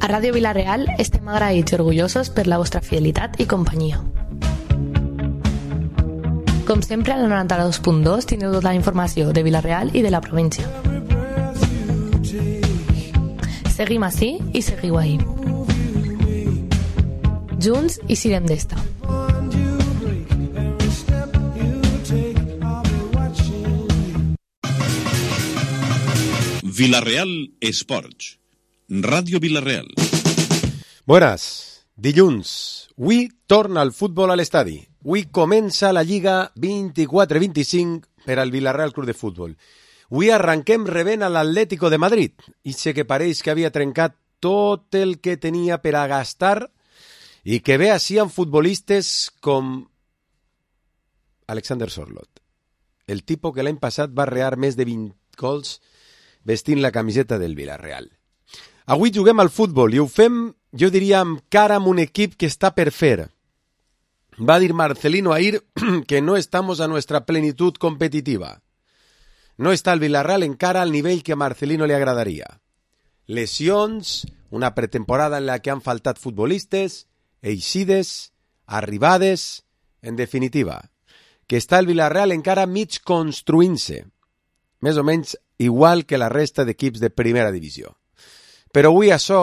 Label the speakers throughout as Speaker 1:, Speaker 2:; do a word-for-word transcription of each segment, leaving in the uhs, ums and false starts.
Speaker 1: A Ràdio Vila-real estem agraïts i orgullosos per la vostra fidelitat i companyia. Com sempre, al noranta-dos punt dos teniu tota la informació de Vila-real i de la província. Seguim ací i seguiu ahí. Junts i sirem d'esta.
Speaker 2: Vila-real Esports. Ràdio Vila-real.
Speaker 3: Buenas. Dilluns. Avui torna el futbol a l'estadi. Avui comença la Lliga vint-i-quatre vint-i-cinc per al Vila-real Club de Futbol. Avui arrenquem rebent a l'Atlético de Madrid. I sé que pareix que havia trencat tot el que tenia per a gastar i que ve així amb futbolistes com Alexander Sorloth, el tipus que l'any passat va rear més de vint gols vestint la camiseta del Vila-real. Avui juguem al futbol i ho fem, jo diria, amb cara amb un equip que està per fer. Va dir Marcelino ahir que no estamos a nuestra plenitud competitiva. No està el Vila-real encara al nivell que a Marcelino li agradaria. Lesions, una pretemporada en la que han faltat futbolistes, eixides, arribades, en definitiva, que està el Vila-real encara mig construint-se, més o menys igual que la resta d'equips de primera divisió. Però avui això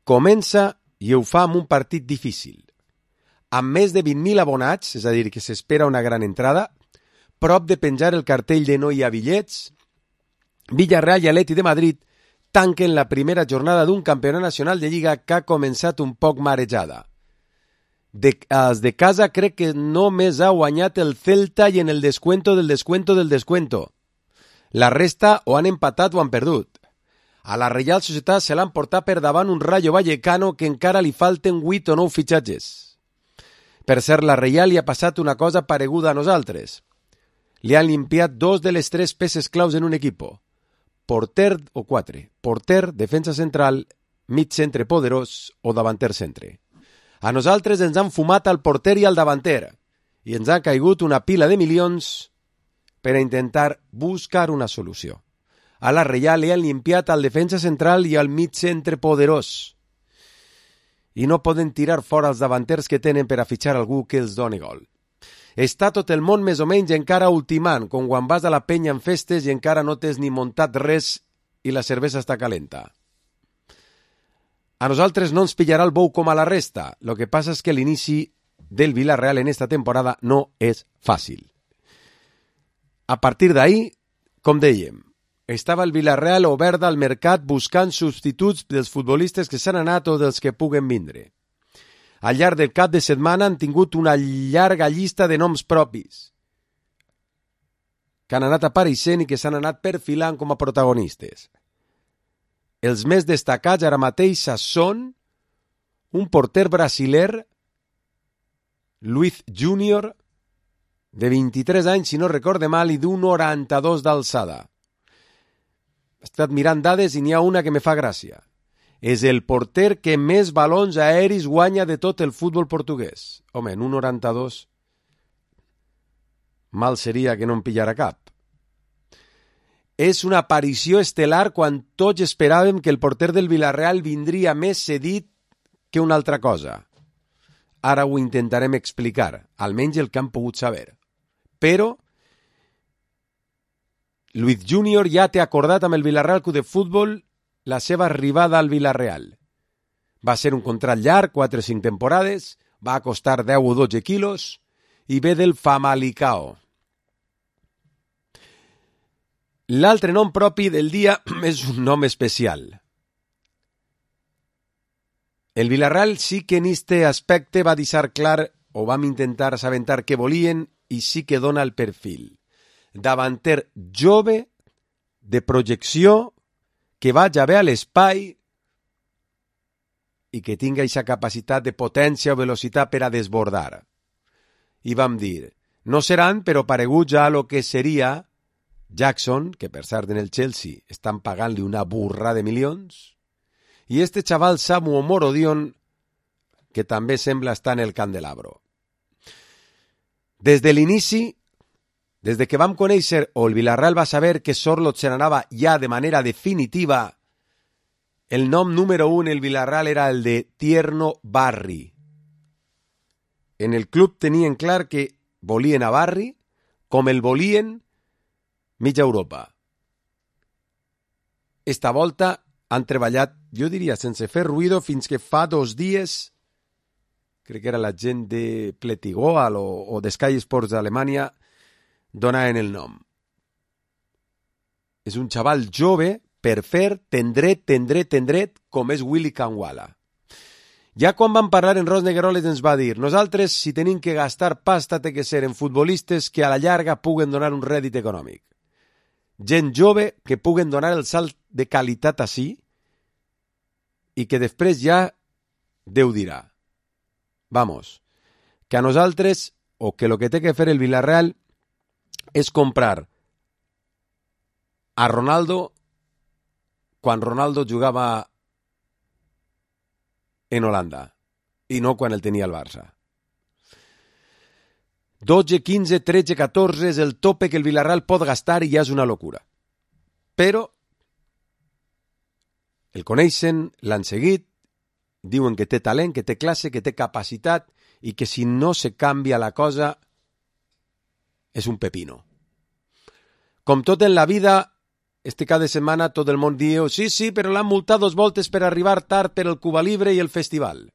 Speaker 3: comença i ho fa amb un partit difícil. Amb més de vint mil abonats, és a dir, que s'espera una gran entrada, prop de penjar el cartell de no hi ha bitllets, Villarreal i Atleti de Madrid tanquen la primera jornada d'un campionat nacional de Lliga que ha començat un poc marejada. De, els de casa crec que només ha guanyat el Celta i en el descuento del descuento del descuento. La resta o han empatat o han perdut. A la Reial Societat se l'han portat per davant un Rayo Vallecano que encara li falten vuit o nou fitxatges. Per cert, la Reial li ha passat una cosa pareguda a nosaltres. Li han limpiat dos de les tres peces claus en un equipo. Porter o quatre. Porter, defensa central, mig centre poderós o davanter centre. A nosaltres ens han fumat al porter i al davanter i ens ha caigut una pila de milions per a intentar buscar una solució. A la Reial li han limpiat al defensa central i al mig centre poderós i no poden tirar fora els davanters que tenen per a fitxar algú que els doni gol. Està tot el món més o menys encara ultimant, com quan vas a la penya en festes i encara no tens ni muntat res i la cervesa està calenta. A nosaltres no ens pillarà el bou com a la resta. Lo que passa és que l'inici del Vila-real en esta temporada no és fàcil. A partir d'ahir, com dèiem, estava el Vila-real obert al mercat buscant substituts dels futbolistes que s'han anat o dels que puguen vindre. Al llarg del cap de setmana han tingut una llarga llista de noms propis que han anat apareixent i que s'han anat perfilant com a protagonistes. Els més destacats ara mateix són un porter brasiler, Luiz Júnior, de vint-i-tres anys, si no recorde mal, i d'un noranta-dos d'alçada. He estat mirant dades i n'hi ha una que me fa gràcia. És el porter que més balons aeris guanya de tot el futbol portuguès. Home, en un noranta-dos, mal seria que no en pillara cap. És una aparició estel·lar quan tots esperàvem que el porter del Vila-real vindria més cedit que una altra cosa. Ara ho intentarem explicar, almenys el que han pogut saber. Però Luiz Júnior ja té acordat amb el Vila-real Club de Futbol la seva arribada al Vila-real. Va ser un contrat llarg, quatre o cinc temporades, va costar deu o dotze quilos i ve del Famalicão. L'altre nom propi del dia és un nom especial. El Vila-real sí que en este aspecte va deixar clar o vam intentar assabentar què volien i sí que dona el perfil. Davanter jove, de projecció, que vaja bé a l'espai i que tinga aquesta capacitat de potència o velocitat per a desbordar. I vam dir, no seran, però pareguts ja a lo que seria Jackson, que per cert en el Chelsea estan pagant-li una burra de milions, i este xaval Samu Omorodion, que també sembla estar en el candelabro. Des de l'inici, des de que vam conèixer o el Vila-real va saber que Sorloth se n'anava ja de manera definitiva, el nom número un el Villarreal era el de Tierno Barri. En el club tenien clar que volien a Barri com el volien mitja Europa. Esta volta han treballat, jo diria, sense fer ruïdo fins que fa dos dies, crec que era la gent de Pletigoal o, o de Sky Sports d'Alemanya, donaven el nom. És un xaval jove per fer tendret, tendret, tendret, com és Willy Kangwala. Ja quan vam parlar en Ros Negueroles ens va dir nosaltres, si tenim que gastar pasta, té que ser en futbolistes que a la llarga puguen donar un rèdit econòmic. Gent jove que puguen donar el salt de qualitat així i que després ja Déu dirà. Vamos, que a nosaltres, o que lo que té que fer el Villarreal és comprar a Ronaldo quan Ronaldo jugava en Holanda i no quan el tenia el Barça. dotze, quinze, tretze, catorze és el tope que el Villarreal pot gastar i ja és una locura. Però el coneixen, l'han seguit, diuen que té talent, que té classe, que té capacitat i que si no se canvia la cosa és un pepino. Com tot en la vida, este cada setmana tot el món diu sí, sí, però l'han multat dos voltes per arribar tard per el Cuba Libre i el festival.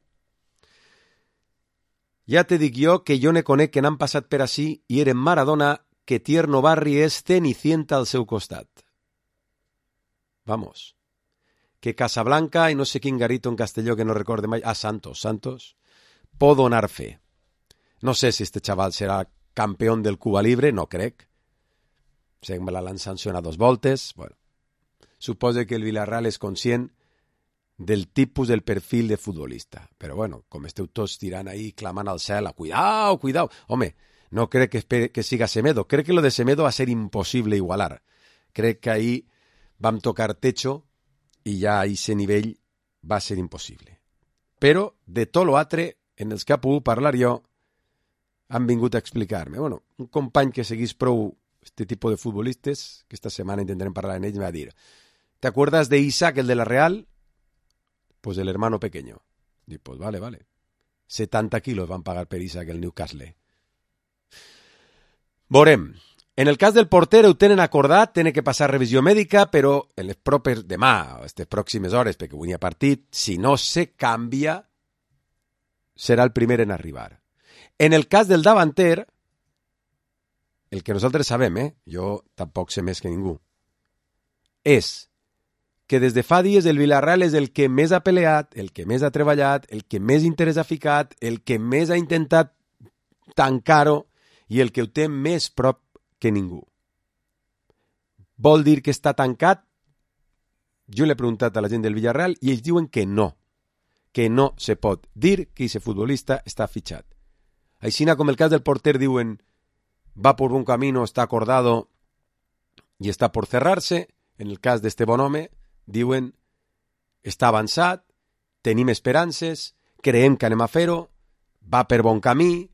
Speaker 3: Ja te dic jo que jo ne conec que n'han passat per ací i eren Maradona que Tierno Barri és Cenicienta al seu costat. Vamos. Que Casablanca i no sé quin garito en Castelló que no recorde mai, ah, Santos, Santos, pot donar fe. No sé si este xaval serà campió del Cuba Libre, no crec. Sé que me l'han sancionat dos voltes. Bueno, suposo que el Villarreal és conscient del tipus del perfil de futbolista. Però bueno, com esteu tots tirant ahí, clamant al cel, cuidao, cuidao. Home, no crec que, espere, que siga Semedo. Crec que lo de Semedo va ser impossible igualar. Crec que ahí vam tocar techo i ja a ese nivell va ser impossible. Però de tot l'altre, en els que ha pogut parlar jo, han vingut a explicar-me. Bueno, un company que seguís prou este tipus de futbolistes, que esta setmana intentarem parlar en ell, me va dir ¿te acuerdas de Isaac, el de la Real? Pues el hermano pequeño. Y pues vale, vale. setanta kilos van pagar per Isaac el Newcastle. Veurem. En el cas del porter ho tenen acordat, tenen que passar revisió mèdica, però en les propers demà, o aquestes pròximes hores, perquè avui hi ha partit, si no se canvia, serà el primer en arribar. En el cas del davanter, el que nosaltres sabem, eh? Jo tampoc sé més que ningú, és que des de fa dies el Villarreal és el que més ha peleat, el que més ha treballat, el que més interès ha ficat, el que més ha intentat tancar-ho i el que ho té més prop que ningú. Vol dir que està tancat? Jo l'he preguntat a la gent del Villarreal i ells diuen que no, que no se pot dir que aquest futbolista està fitxat. Així com el cas del porter diuen va por un camino, está acordado y está por cerrarse. En el cas d'este bon home diuen està avançat, tenim esperances, creiem que anem a fer-ho, va per bon camí,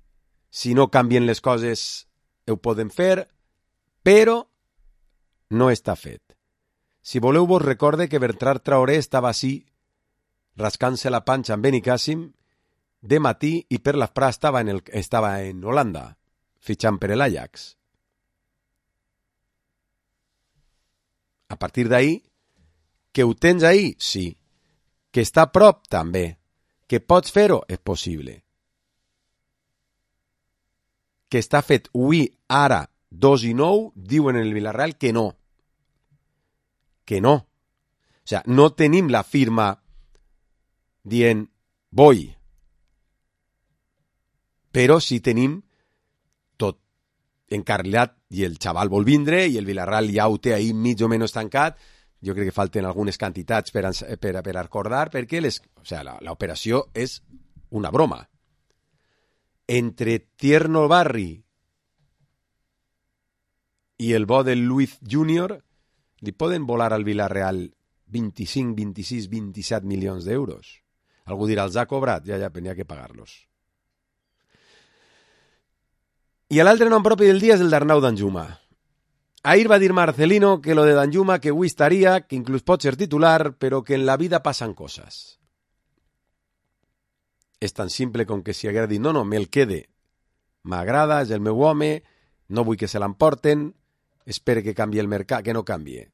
Speaker 3: si no canvien les coses ho podem fer, però no està fet. Si voleu vos recorde que Bertrand Traoré estava així, rascant-se la panxa amb Benicàssim, de matí i per l'esprà estava, en el, estava en Holanda, fitxant per l'Ajax. A partir d'ahí, que ho tens ahí? Sí. Que està a prop? També. Que pots fer-ho? És possible. Que està fet avui, ara, dos i nou, diuen en el Villarreal que no. Que no. O sea, no tenim la firma dient voy. Però sí tenim tot encarrilat i el xaval vol vindre i el Villarreal ja ho té ahí mig o menys tancat. Jo crec que falten algunes quantitats per, per, per acordar perquè les, o sea, la, la operació és una broma. Entre Tierno Barri i el bo del Luis Junior li poden volar al Villarreal vint-i-cinc, vint-i-sis, vint-i-set milions d'euros. Algú dirà, els ha cobrat? Ja, ja, tenia que pagar-los. I l'altre nom propi del dia és el d'Arnau Danjuma. Ahir va dir Marcelino que lo de Danjuma que avui estaria, que inclús pot ser titular, però que en la vida passen coses. És tan simple com que si haguera dit no, no, me'l quede. M'agrada, és el meu home, no vull que se l'emporten, espero que canvi el mercat, que no canvie.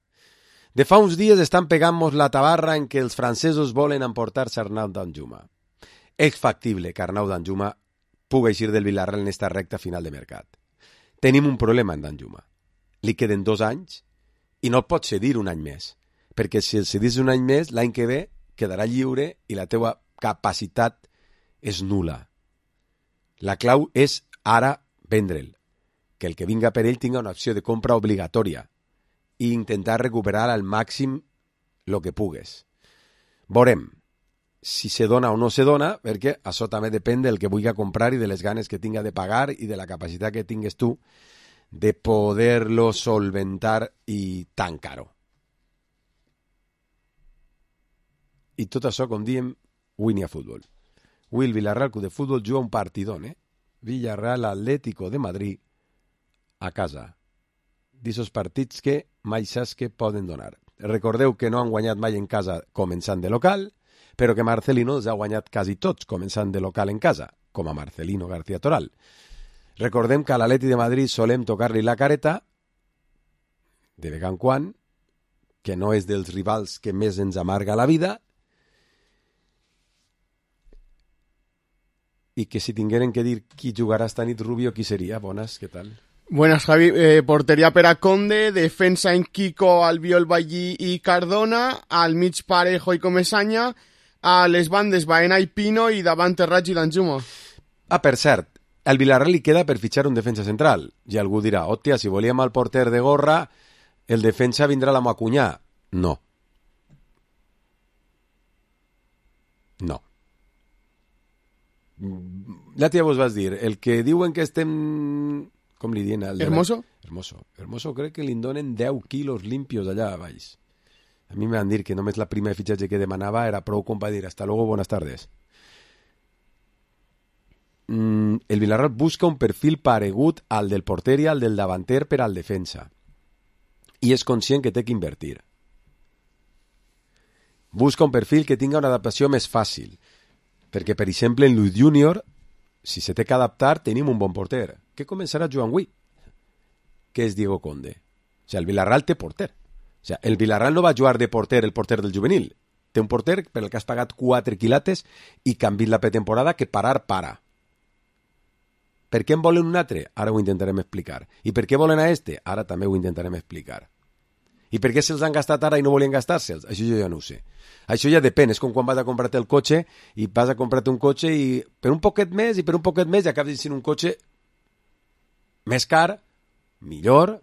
Speaker 3: De fa uns dies estan pegant-nos la tabarra en que els francesos volen emportar-se Arnau Danjuma. És factible que Arnau Danjuma pugui eixir del Villarreal en esta recta final de mercat. Tenim un problema en Danjuma. Li queden dos anys i no el pots cedir un any més, perquè si el cedis un any més, l'any que ve quedarà lliure i la teua capacitat és nula. La clau és ara vendre'l, que el que vinga per ell tinga una opció de compra obligatòria i intentar recuperar al màxim el que pugues. Veurem si se dona o no se dona, perquè això també depèn del que vulgui comprar i de les ganes que tinga de pagar i de la capacitat que tingues tu de poder-lo solventar i tan caro. I tot això, com diem, avui n'hi ha futbol. Avui el Villarreal Club de Futbol juga un partidón, eh? Villarreal Atlético de Madrid a casa. D'esos partits que mai saps que poden donar. Recordeu que no han guanyat mai en casa començant de local, però que Marcelino els ha guanyat quasi tots començant de local en casa, com a Marcelino García Toral. Recordem que a l'Atleti de Madrid solem tocar-li la careta, de vegada en quan, que no és dels rivals que més ens amarga la vida, i que si tingueren que dir qui jugarà esta nit, Rubio, qui seria? Bones, què tal?
Speaker 4: Buenas, Javi. Eh, portería per a Conde, defensa en Kiko, Albiol, Ballí i Cardona, al mig Parejo i Comesaña, a les bandes Baena i Pino i davant Terrats i Danjuma.
Speaker 3: Ah, per cert, al Villarreal li queda per fitxar un defensa central. I algú dirà, hòstia, si volíem el porter de gorra, el defensa vindrà a la Macunyà. No. No. Ja ja vos vas dir, el que diuen que estem... Com li diuen?
Speaker 4: Hermoso?
Speaker 3: Hermoso. Hermoso crec que li donen deu quilos limpios allà a baix. A mi me van dir que només la prima de fitxatge que demanava era prou com va dir hasta luego, buenas tardes. Mm, el Villarreal busca un perfil paregut al del porter i al del davanter per al defensa. I és conscient que té que invertir. Busca un perfil que tinga una adaptació més fàcil. Perquè, per exemple, en Luis Junior, si se té que adaptar, tenim un bon porter. Què començarà jugant avui? Que és Diego Conde. O sigui, el Villarreal té porter. O sigui, el Villarreal no va jugar de porter el porter del juvenil. Té un porter per el que has pagat quatre quilates i canviat la pretemporada que parar para. Per què en volen un altre? Ara ho intentarem explicar. I per què volen a este? Ara també ho intentarem explicar. I per què se'ls han gastat ara i no volien gastar-se'ls? Això jo ja no ho sé. Això ja depèn. És com quan vas a comprar-te el cotxe i vas a comprar-te un cotxe i per un poquet més i per un poquet més i acabes sent un cotxe més car, millor,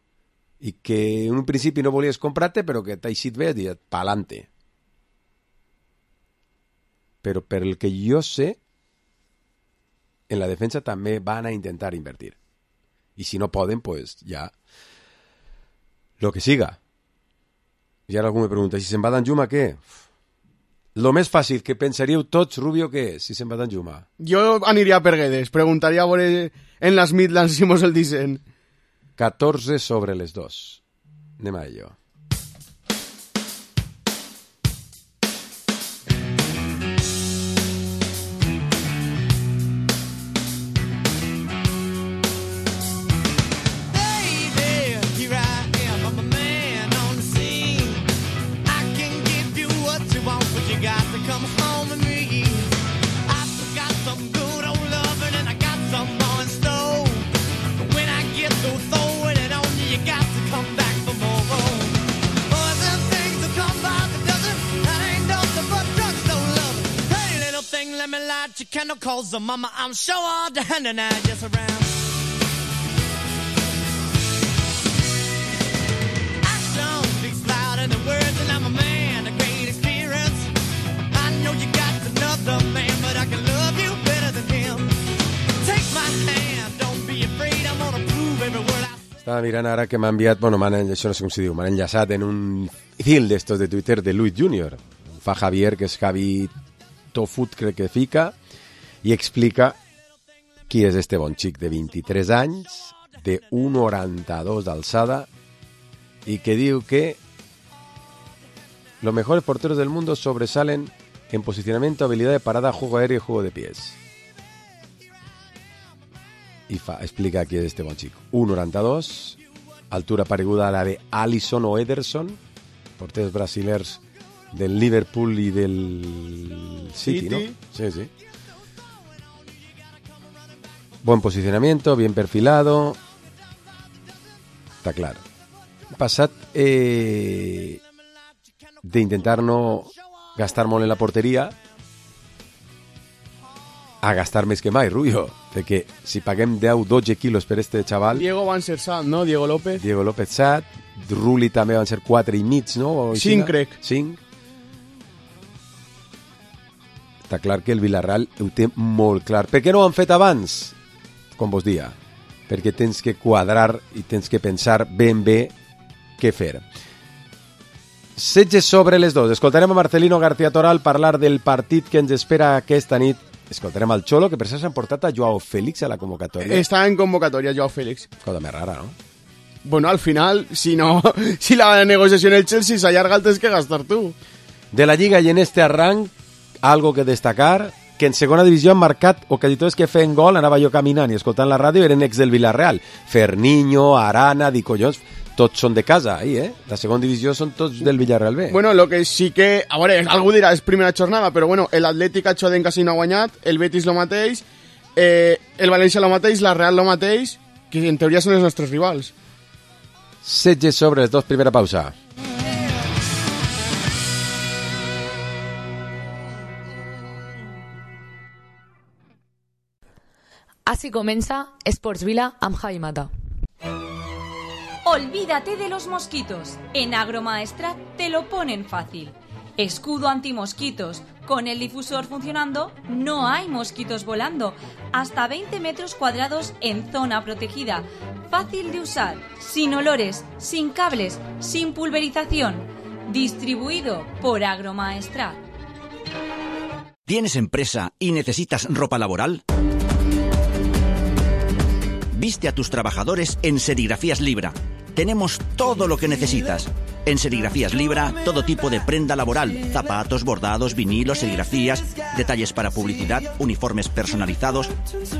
Speaker 3: i que en un principi no volies comprar-te, però que t'ha eixit bé, i pa'lante. Però per el que jo sé, en la defensa també van a intentar invertir. I si no poden, pues ja lo que siga. I ara algú me pregunta, si se'n va Danjuma, què? Lo més fàcil que pensaríeu tots, Rubio, què és, si se'n va Danjuma?
Speaker 4: Jo aniria per Guedes, preguntaria a veure en les Midlands si mos el dicen.
Speaker 3: catorze sobre les dos. Anem a ello.
Speaker 5: Calls the mama, I'm sure all the hand and I just around. Action speaks louder than words, and I'm a man of great experience. I know you got another man, but I can love you better than him. Take my hand, don't be afraid, I'm gonna prove every word I say.
Speaker 3: Estava mirant ara que m'ha enviat, bueno, m'han, això no sé com s'hi diu, m'han enllaçat en un fil d'estos de Twitter de Luis Junior. Fa Javier, que és Javi Tofut, crec que fica, i explica qui és este bon xic de vint-i-tres anys, de un noranta-dos d'alçada y que digo que los mejores porteros del mundo sobresalen en posicionamiento, habilidad de parada, juego aéreo y juego de pies. Y fa, explica aquí este buen chico. uno noranta dos, altura pareguda a la de Alisson o Ederson, porteros brasileños del Liverpool y del City, City, ¿no? Sí, sí. Buen posicionamiento, bien perfilado. Está claro. Passat eh, de intentar no gastar molt en la porteria a gastar més que mai, Rubio. De que si paguem deu dotze quilos per este xaval...
Speaker 4: Diego van ser Sat, no? Diego López.
Speaker 3: Diego López Sat. Rulli també van ser quatre i mig, no?
Speaker 4: cinc, crec.
Speaker 3: cinc. Està clar que el Villarreal ho té molt clar. Per què no ho han fet abans? Com vos dia. Perquè tens que quadrar i tens que pensar ben bé què fer. setze sobre les dos. Escoltarem a Marcelino García Toral parlar del partit que ens espera aquesta nit. Escoltarem al Cholo, que per cert s'han portat a Joao Félix a la convocatòria.
Speaker 4: Està en convocatòria Joao Félix.
Speaker 3: Cosa més rara, ¿no?
Speaker 4: Bueno, al final, si no, si la negociació en el Chelsea s'allarga, el tens que gastar tu.
Speaker 3: De la Lliga i en este arranc, algo que destacar, que en segona divisió han marcat ocasionadors que feien gol, anava jo caminant i escoltant la ràdio, eren ex del Villarreal. Ferniño, Arana, Di Collons, tots són de casa, ahí, eh? La segona divisió són tots del Villarreal B.
Speaker 4: Bueno, lo que sí que... A veure, algú dirà, és primera jornada, però bueno, l'Atlètic Achoden quasi no ha guanyat, el Betis lo mateix, eh, el València lo mateix, la Real lo mateix, que en teoria són els nostres rivals.
Speaker 3: setze sobre les dos, primera pausa.
Speaker 1: Así comença Esports Vila amb Javi Mata.
Speaker 6: Olvídate de los mosquitos. En Agromaestrat te lo ponen fácil. Escudo antimosquitos. Con el difusor funcionando, no hay mosquitos volando. Hasta veinte metros cuadrados en zona protegida. Fácil de usar, sin olores, sin cables, sin pulverización. Distribuido por Agromaestrat.
Speaker 7: ¿Tienes empresa y necesitas ropa laboral? Viste a tus trabajadores en Serigrafías Libra. Tenemos todo lo que necesitas. En Serigrafías Libra, todo tipo de prenda laboral, zapatos, bordados, vinilos, serigrafías, detalles para publicidad, uniformes personalizados.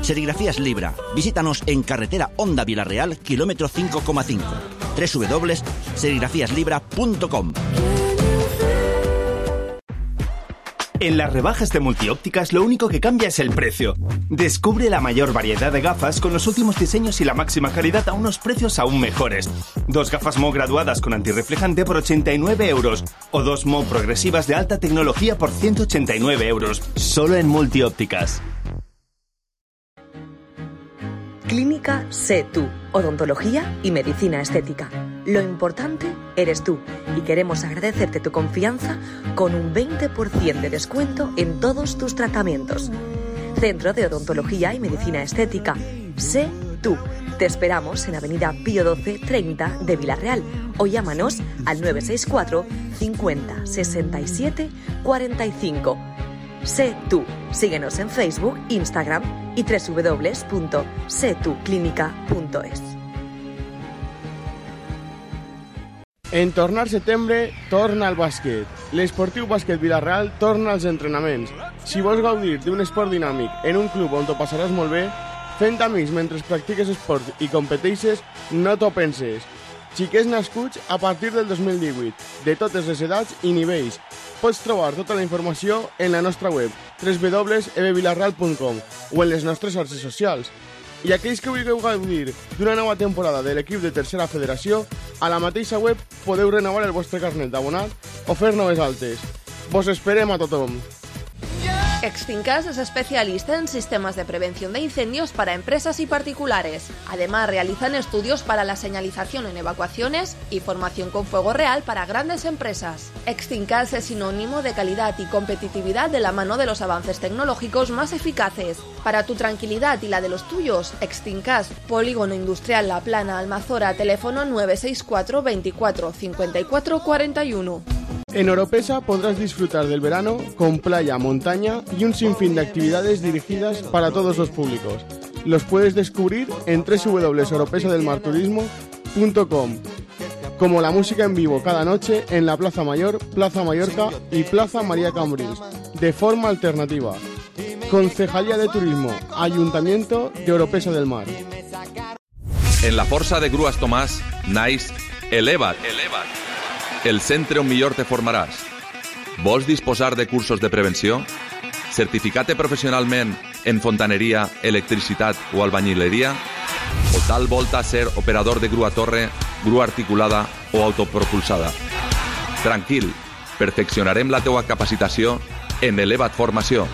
Speaker 7: Serigrafías Libra. Visítanos en carretera Honda Villarreal, kilómetro cinco coma cinco. doble u doble u doble u punto serigrafías libra punto com.
Speaker 8: En las rebajas de Multiópticas lo único que cambia es el precio. Descubre la mayor variedad de gafas con los últimos diseños y la máxima calidad a unos precios aún mejores. Dos gafas M O graduadas con antirreflejante por ochenta y nueve euros o dos M O progresivas de alta tecnología por ciento ochenta y nueve euros. Solo en Multiópticas.
Speaker 9: Clínica Sé Tú, odontología y medicina estética. Lo importante eres tú y queremos agradecerte tu confianza con un veinte por ciento de descuento en todos tus tratamientos. Centro de Odontología y Medicina Estética. Sé Tú. Te esperamos en Avenida Pío doce treinta de Villarreal o llámanos al nueve seis cuatro cincuenta sesenta y siete cuarenta y cinco. Sé Tú. Síguenos en Facebook, Instagram y doble u doble u doble u punto sé tú clínica punto es.
Speaker 4: En tornar setembre, torna al bàsquet. L'Esportiu Bàsquet Villarreal torna als entrenaments. Si vols gaudir d'un esport dinàmic en un club on t'ho passaràs molt bé, fent amics mentre practiques esport i competeixes, no t'ho penses. Xiquets nascuts a partir del dos mil divuit, de totes les edats i nivells. Pots trobar tota la informació en la nostra web, doble u doble u doble u punt e b villarreal punt com, o en les nostres xarxes socials. I aquells que vulgueu gaudir d'una nova temporada de l'equip de tercera federació, a la mateixa web podeu renovar el vostre carnet d'abonat o fer noves altes. Vos esperem a tothom.
Speaker 10: Extincas es especialista en sistemas de prevención de incendios para empresas y particulares. Además, realizan estudios para la señalización en evacuaciones y formación con fuego real para grandes empresas. Extincas es sinónimo de calidad y competitividad de la mano de los avances tecnológicos más eficaces. Para tu tranquilidad y la de los tuyos, Extincas, Polígono Industrial La Plana, Almazora, teléfono nueve seis cuatro veinticuatro cincuenta y cuatro cuarenta y uno.
Speaker 4: En Oropesa podrás disfrutar del verano con playa, montaña y un sinfín de actividades dirigidas para todos los públicos. Los puedes descubrir en doble u doble u doble u punto oropesa del mar turismo punto com. como la música en vivo cada noche en la Plaza Mayor, Plaza Mallorca y Plaza María Cambrils, de forma alternativa. Concejalía de Turismo, Ayuntamiento de Oropesa del Mar.
Speaker 11: En la força de Grues Tomàs naix Eleva't, Eleva't, el centre on millor te formaràs. Vols disposar de cursos de prevenció? Certificar-te professionalment en fontaneria, electricitat o albañileria? O tal volta ser operador de grua torre, grua articulada o autopropulsada? Tranquil, perfeccionarem la teua capacitació en Eleva't Formació.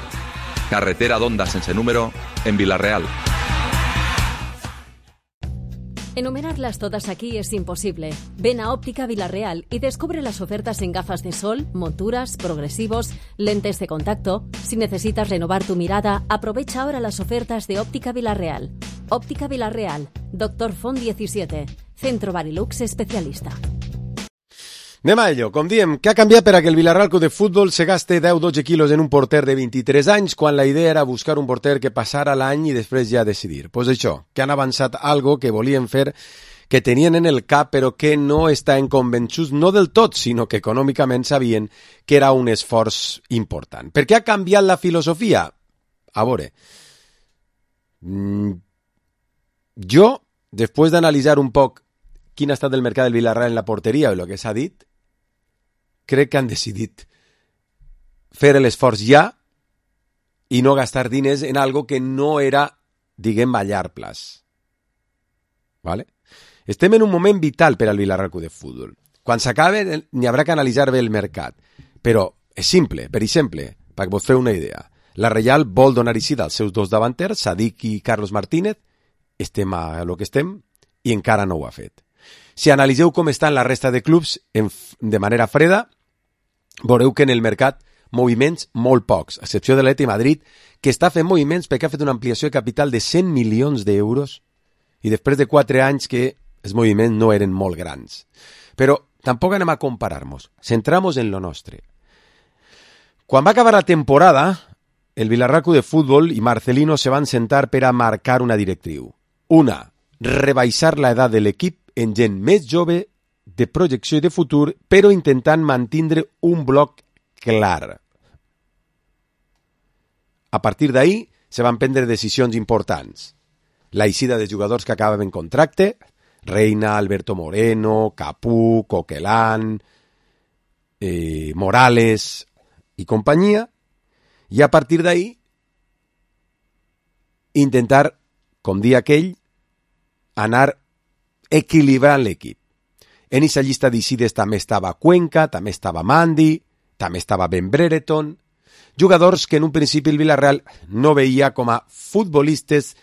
Speaker 11: Carretera d'Onda sense número en Vila-real.
Speaker 12: Enumerarlas todas aquí es imposible. Ven a Óptica Vila-real y descubre las ofertas en gafas de sol, monturas, progresivos, lentes de contacto. Si necesitas renovar tu mirada, aprovecha ahora las ofertas de Óptica Vila-real. Óptica Vila-real, Doctor Font diecisiete, Centro Barilux especialista.
Speaker 3: Anem a ello. Com diem, què ha canviat per a que el Vila-real Club de Futbol se gaste deu dotze quilos en un porter de vint-i-tres anys quan la idea era buscar un porter que passara l'any i després ja decidir? Doncs pues això, que han avançat algo que volien fer, que tenien en el cap però que no estaven convençuts, no del tot, sinó que econòmicament sabien que era un esforç important. Per què ha canviat la filosofia? A veure, jo, després d'analitzar un poc quin ha estat el mercat del Vila-real en la porteria i el que s'ha dit, crec que han decidit fer l'esforç ja i no gastar diners en algo que no era, diguem, a llarg plaç. ¿Vale? Estem en un moment vital per al Vila-real Club de Futbol. Quan s'acabe, n'hi haurà que analitzar bé el mercat. Però és simple, per exemple, perquè vos feu una idea. La Reial vol donar eixida als seus dos davanters, Sadik i Carlos Martínez, estem a lo que estem, i encara no ho ha fet. Si analitzeu com estan la resta de clubs en, de manera freda, veureu que en el mercat moviments molt pocs, a excepció de l'Atlètic Madrid, que està fent moviments perquè ha fet una ampliació de capital de cent milions d'euros i després de quatre anys que els moviments no eren molt grans. Però tampoc anem a comparar-nos, centramos en lo nostre. Quan va acabar la temporada, el Vila-real Club de Futbol i Marcelino se van sentar per a marcar una directriu. Una, rebaixar l'edat de l'equip en gent més jove, de projecció i de futur, però intentant mantindre un bloc clar. A partir d'ahí, se van prendre decisions importants. La eixida de jugadors que acabaven contracte, Reina, Alberto Moreno, Capú, Coquelán, eh, Morales i companyia, i a partir d'ahí, intentar, com dia aquell, anar equilibrant l'equip. En aquesta llista d'eixides també estava Cuenca, també estava Mandi, també estava Ben Brereton, jugadors que en un principi el Vila-real no veia com a futbolistes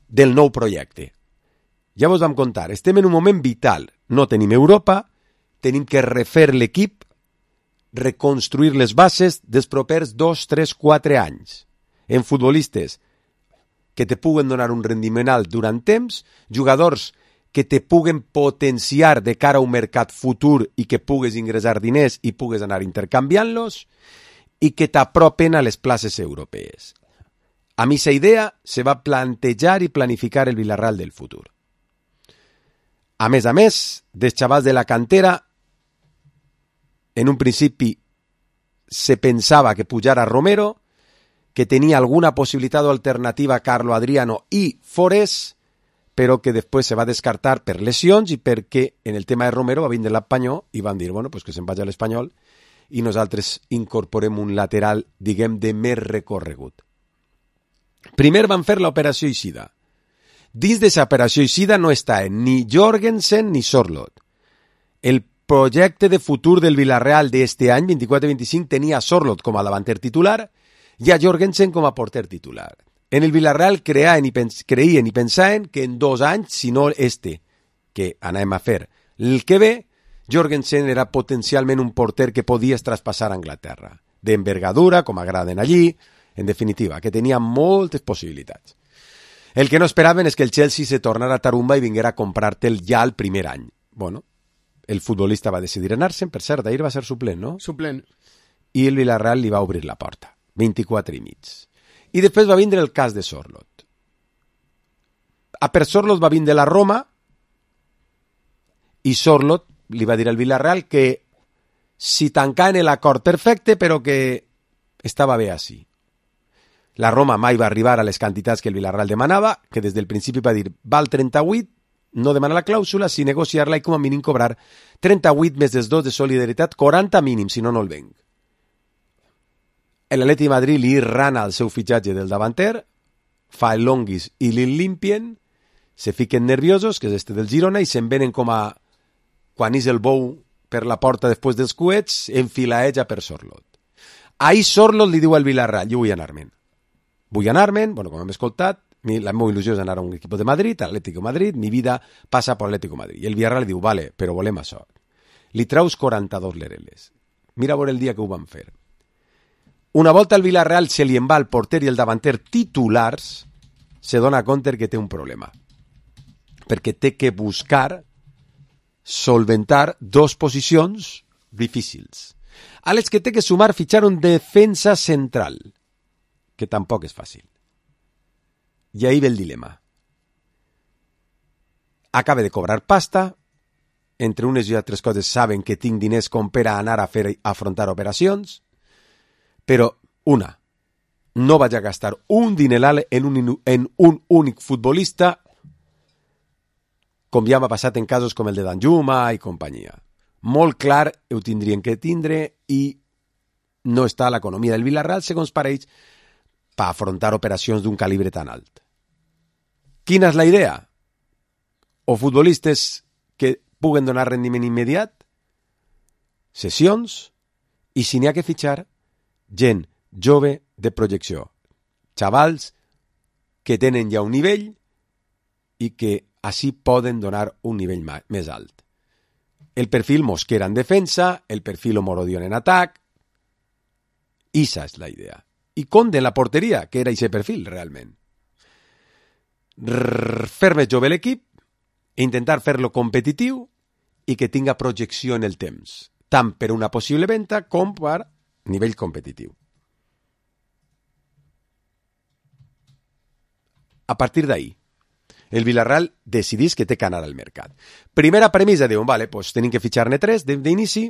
Speaker 3: del nou projecte. Ja vos vam contar, estem en un moment vital, no tenim Europa, tenim que refer l'equip, reconstruir les bases dels propers dos, tres, quatre anys. En futbolistes que te puguen donar un rendiment alt durant temps, jugadors que te puguen potenciar de cara a un mercat futur i que pugues ingressar diners i pugues anar intercanviant-los i que t'apropen a les places europees. A mi esa idea se va plantejar i planificar el Vila-real del futur. A més a més, dels xavals de la cantera, en un principi se pensava que pujara Romero, que tenia alguna possibilitat o alternativa a Carlo Adriano i Forés, però que després se va descartar per lesions i perquè en el tema de Romero va vindre l'Espanyol i van dir, bueno, pues que se'n vagi a l'Espanyol i nosaltres incorporem un lateral, diguem, de més recorregut. Primer van fer l'operació Eixida. Dins d'aquesta operació Eixida no està ni Jorgensen ni Sorloth. El projecte de futur del Vila-real d'este any, vint-i-quatre vint-i-cinc, tenia Sorloth com a davanter titular i a Jorgensen com a porter titular. En el Vila-real creien i, pens creien i pensaven que en dos anys, si no este, que anem a fer el que ve, Jorgensen era potencialment un porter que podies traspassar a Anglaterra. D'envergadura, com agraden allí, en definitiva, que tenia moltes possibilitats. El que no esperaven és que el Chelsea se tornara a Tarumba i vinguera a comprar-te'l ja el primer any. Bueno, el futbolista va decidir anar-se'n, per cert, ahir va ser suplent, no?
Speaker 4: Suplent.
Speaker 3: I el Vila-real li va obrir la porta. vint-i-quatre i mig. I després va vindre el cas de Sorloth. A per Sorloth va vindre la Roma i Sorloth li va dir al Villarreal que si tancaven l'acord perfecte, però que estava bé així. La Roma mai va arribar a les quantitats que el Villarreal demanava, que des del principi va dir val trenta-vuit, no demana la clàusula, si negociar-la i com a mínim cobrar trenta-vuit més dels dos de solidaritat, quaranta mínim, si no, no el venc. L'Atleti de Madrid li rana el seu fitxatge del davanter, fa el longuis i li limpien, se fiquen nerviosos, que és este del Girona, i se'n venen com a quan és el bou per la porta després dels coets, enfilaeja per Sorlot. Ahir Sorlot li diu al Villarreal, jo vull anar-me'n. Vull anar-me'n, bueno, com hem escoltat, la meva il·lusió és anar a un equip de Madrid, Atlético Madrid, mi vida passa per Atlético Madrid. I el Villarreal li diu, vale, però volem això. Li traus quaranta-dos lereles. Mira a veure el dia que ho van fer. Una volta al Villarreal se li en va el porter i el davanter titulars, se dona compte que té un problema. Perquè té que buscar solventar dos posicions difícils, a les que té que sumar fitxar un defensa central, que tampoc és fàcil. I ahí ve el dilema. Acaba de cobrar pasta, entre unes i altres coses saben que tinc diners com per a anar a fer a afrontar operacions, però, una, no vaig a gastar un dineral en un, en un únic futbolista, com ja m'ha passat en casos com el de Danjuma i companyia. Molt clar ho tindrien que tindre i no està l'economia del Villarreal, segons pareix, per afrontar operacions d'un calibre tan alt. Quina és la idea? O futbolistes que puguen donar rendiment immediat, sessions, i si n'hi ha que fitxar, gent jove de projecció, xavals que tenen ja un nivell i que així poden donar un nivell més alt. El perfil Mosquera en defensa, el perfil Omorodion en atac, esa és la idea. I Conde en la porteria, que era aquest perfil realment. Fer més jove l'equip, intentar fer-lo competitiu i que tinga projecció en el temps, tant per una possible venda com per nivell competitiu. A partir d'ahí, el Villarreal decidís que té que anar al mercat. Primera premissa, diuen, vale, pues tenim que fitxar-ne tres d'inici,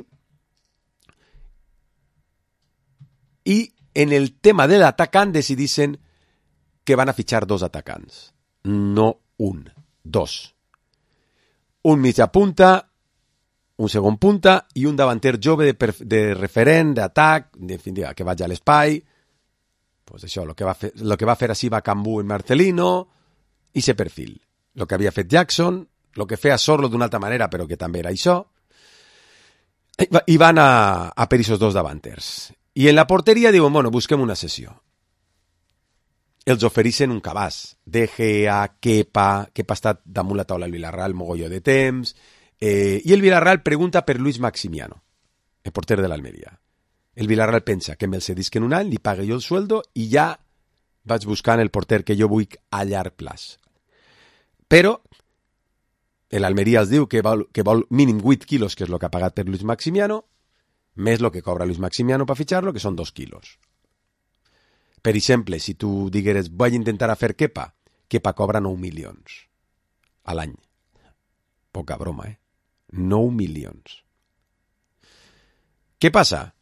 Speaker 3: i en el tema de l'atacant decidissin que van a fitxar dos atacants, no un, dos. Un mitja punta, un segon punta i un davanter jove de, de referent, d'atac, en definitiva, que vagi a l'espai. Pues això, el que va fer, lo que va fer així va Cambú en Marcelino, i ese perfil. El que havia fet Jackson, el que feia Sorlo d'una altra manera, però que també era això, i van a, a per aquests dos davanters. I en la porteria diuen, bueno, busquem una sessió. Els ofereixen un cabàs. De Gea, Kepa, Kepa ha estat damunt la taula al Villarreal mogolló de temps, eh, i el Villarreal pregunta per Luis Maximiano, el porter de l'Almeria. El Villarreal pensa que me'l cedisquen un any, li pague jo el sueldo i ja vaig buscant el porter que jo vull a llarg plaç. Però l'Almeria els diu que vol, que vol mínim vuit quilos, que és el que ha pagat per Luis Maximiano, més el que cobra Luis Maximiano per fitxar-lo, que són dos quilos. Per exemple, si tu digueres vaig intentar a fer Kepa, Kepa cobra nou milions a l'any. Poca broma, eh? nou milions. Què passa?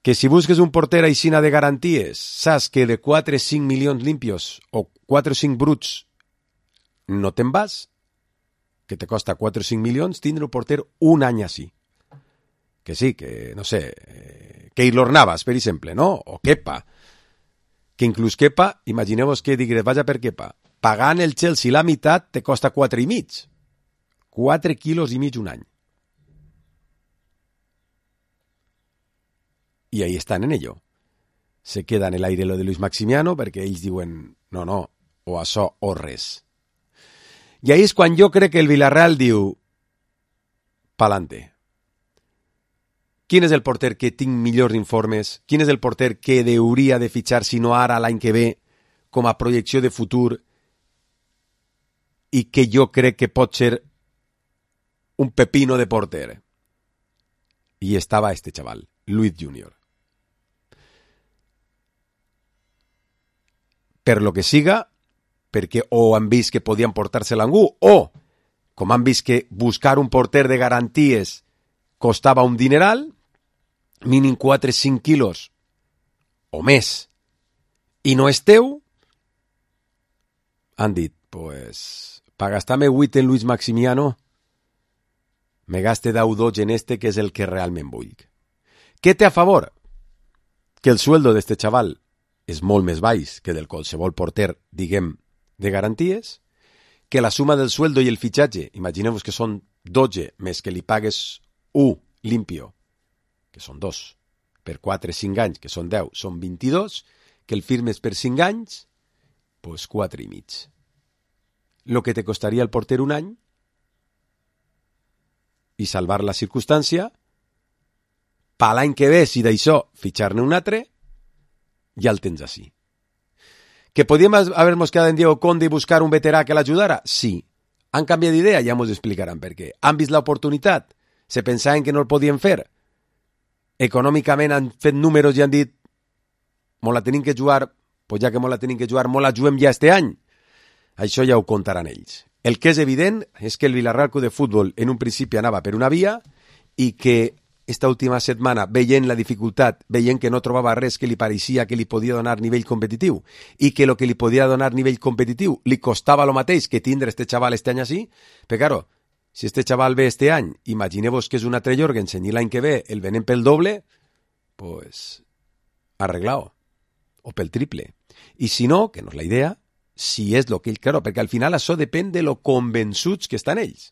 Speaker 3: Que si busques un porter aixina de garanties, saps que de quatre o cinc milions limpios o quatre o cinc bruts no te'n vas, que te costa quatre o cinc milions, tindre un porter un any així. Que sí, que, no sé, eh, Keylor Navas, per exemple, no? O Kepa. Que inclús Kepa, imagineu-vos que digues, vaja per Kepa, pagant el Chelsea la meitat te costa quatre i mig. quatre quilos i mig un any. Y ahí están en ello. Se queda en el aire lo de Luis Maximiano perquè ells diuen, no, no, o això o res. I ahí és quan jo crec que el Villarreal diu, pa'lante. Quin és el porter que tinc millors informes? Quin és el porter que hauria de fitxar, si no ara, l'any que ve, com a projecció de futur i que jo crec que pot ser un pepino de porter? I estava este chaval, Luis Junior. Per lo que siga, perquè o han vist que podien portar-se l'angú, o, com han vist que buscar un porter de garanties costava un dineral, mínim quatre o cinc quilos o més, i no és teu, han dit, pues, para gastar-me vuit en Luis Maximiano, me gaste deu dots en este, que és el que realment vull. Què té a favor? Que el sueldo d'este xaval és molt més baix que del qualsevol porter, diguem, de garanties, que la suma del sueldo i el fitxatge, imagineu-vos que són dotze, més que li pagues u limpio, que són dos, per quatre o cinc anys, que són deu, són vint-i-dos, que el firmes per cinc anys, pues quatre i mig. Lo que te costaria el porter un any i salvar la circumstància, pa l'any que ve, si d'això fitxar-ne un altre, ja el tens així. ¿Que podíem haver-nos quedat en Diego Conde i buscar un veterà que l'ajudara? Sí. Han canviat d'idea? Ja ens explicaran per què. Han vist l'oportunitat? Se pensaven que no el podien fer? Econòmicament han fet números i han dit mos la tenim que jugar, pues ja que mos la tenim que jugar, mos la juguem ja este any. Això ja ho contaran ells. El que és evident és que el Villarreal Club de Futbol en un principi anava per una via i que esta última setmana, veient la dificultat, veient que no trobava res que li pareixia que li podia donar nivell competitiu i que el que li podia donar nivell competitiu li costava lo mateix que tindre este xaval este any així, però claro, si este xaval ve este any, imagineu-vos que és un altre Jorgensen i l'any que ve el venen pel doble, pues arreglao, o pel triple. I si no, que no és la idea, si és lo que ell, claro, perquè al final això depèn de lo convençuts que estan ells,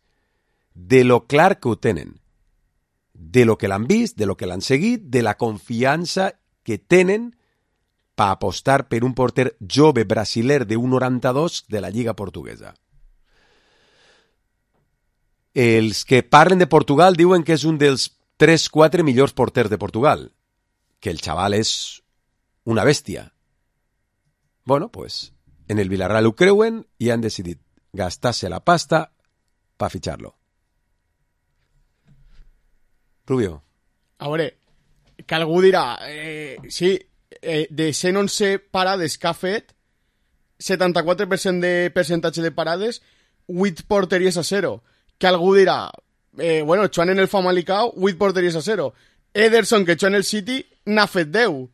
Speaker 3: de lo clar que ho tenen, de lo que l'han vist, de lo que l'han seguit, de la confiança que tenen per apostar per un porter jove brasiler de un noranta-dos de la Lliga Portuguesa. Els que parlen de Portugal diuen que és un dels tres quatre millors porters de Portugal, que el xaval és una bèstia. Bueno, pues en el Villarreal ho creuen i han decidit gastar-se la pasta per fitxar-lo. Rubio.
Speaker 4: A veure, que algú dirà, eh, sí, eh, de cent onze parades que ha fet, setanta-quatre per cent de percentatge de parades, vuit porteries a zero. Que algú dirà, eh, bueno, Joan en el Famalicão, vuit porteries a zero. Ederson, que Joan en el City, n'ha fet deu.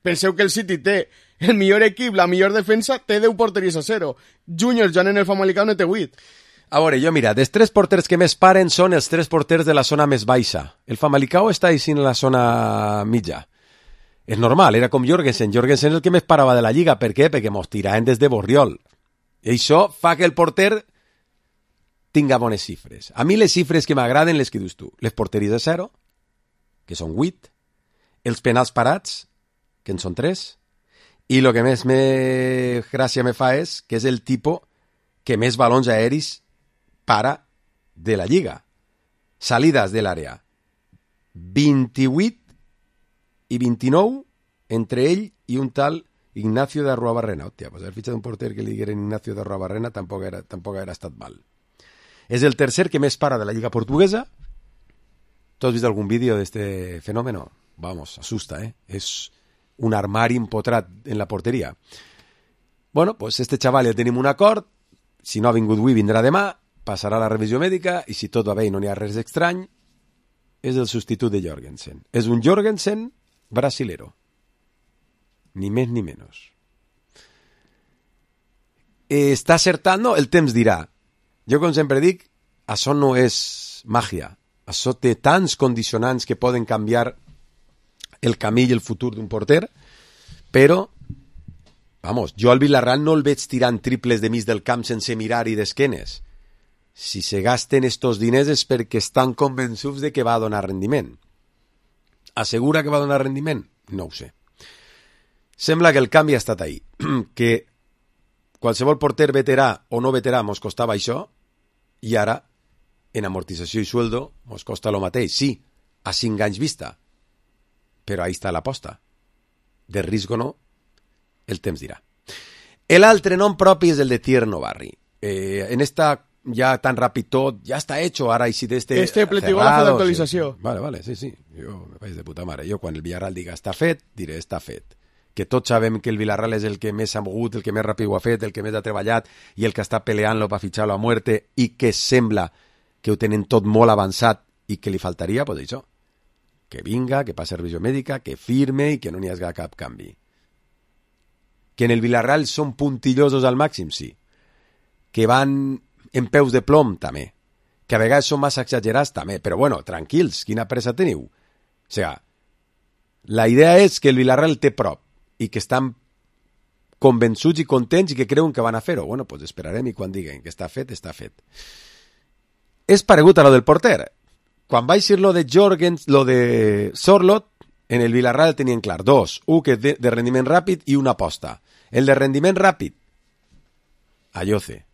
Speaker 4: Penseu que el City té el millor equip, la millor defensa, té deu porteries a zero. Junior, Joan en el Famalicão, no té vuit.
Speaker 3: A veure, jo mira, dels tres porters que més paren són els tres porters de la zona més baixa. El Famalicão està així en la zona mitja. És normal, era com Jorgensen. Jorgensen és el que més parava de la Lliga. Per què? Perquè mos tiraven des de Borriol. I això fa que el porter tinga bones xifres. A mi les xifres que m'agraden les que dius tu. Les porteries de zero, que són vuit. Els penals parats, que en són tres. I el que més me gràcia me fa és que és el tipus que més balons aeris para de la Lliga. Salides de l'àrea. vint-i-vuit i vint-i-nou entre ell i un tal Ignacio de Arruabarrena. Hòstia, pues haver fitxat un porter que li digueren Ignacio de Arruabarrena tampoc era, tampoc era estat mal. És el tercer que més para de la Lliga Portuguesa. ¿Tú has visto algún vídeo de este fenómeno? Vamos, asusta, ¿eh? És un armari empotrat en la porteria. Bueno, pues este chaval ja tenim un acord. Si no ha vingut avui, vindrà demà. Passarà la revisió mèdica i si tot va bé i no n'hi ha res estrany, és el substitut de Jorgensen. És un Jorgensen brasilero. Ni més ni menys. Eh, està acertant? No, el temps dirà. Jo, com sempre dic, això no és màgia. Això té tants condicionants que poden canviar el camí i el futur d'un porter, però, vamos, jo al Villarreal no el veig tirant triples de mig del camp sense mirar i d'esquenes. Si se gasten estos diners és perquè estan convençuts de que va a donar rendiment. Assegura que va a donar rendiment? No ho sé. Sembla que el canvi ha estat ahí. Que qualsevol porter veterà o no veterà mos costava això i ara, en amortització i sueldo, mos costa lo mateix. Sí, a cinc anys vista. Però ahí està l'aposta. De risc o no, el temps dirà. L'altre nom propi és el de Tierno Barri. Eh, en esta ya tan rápido todo, ya está hecho, ahora y si de este...
Speaker 4: Este pletigógrafo de actualització.
Speaker 3: Sí. Vale, vale, sí, sí, jo me vaig de puta mare. Jo quan el Villarreal diga està fet, diré està fet. Que tots sabem que el Villarreal és el que més ha mogut, el que més ràpid ho ha fet, el que més ha treballat i el que està peleant-lo per fitxar-lo a muerte i que sembla que ho tenen tot molt avançat i que li faltaria, pues això, que vinga, que passi revisió mèdica, que firme i que no n'hi hagi cap canvi. Que en el Villarreal són puntillosos al màxim, sí. Que van en peus de plom, també. Que a vegades són massa exagerats, també. Però bueno, tranquils, quina pressa teniu? O sigui, la idea és que el Villarreal té prop i que estan convençuts i contents i que creuen que van a fer-ho. Bueno, pues esperarem i quan diguen que està fet, està fet. És paregut a lo del porter. Quan vaig dir lo de Jorgens, lo de Sorloth, en el Villarreal tenien clar dos, un que és de, de rendiment ràpid i una aposta. El de rendiment ràpid, Ayoce.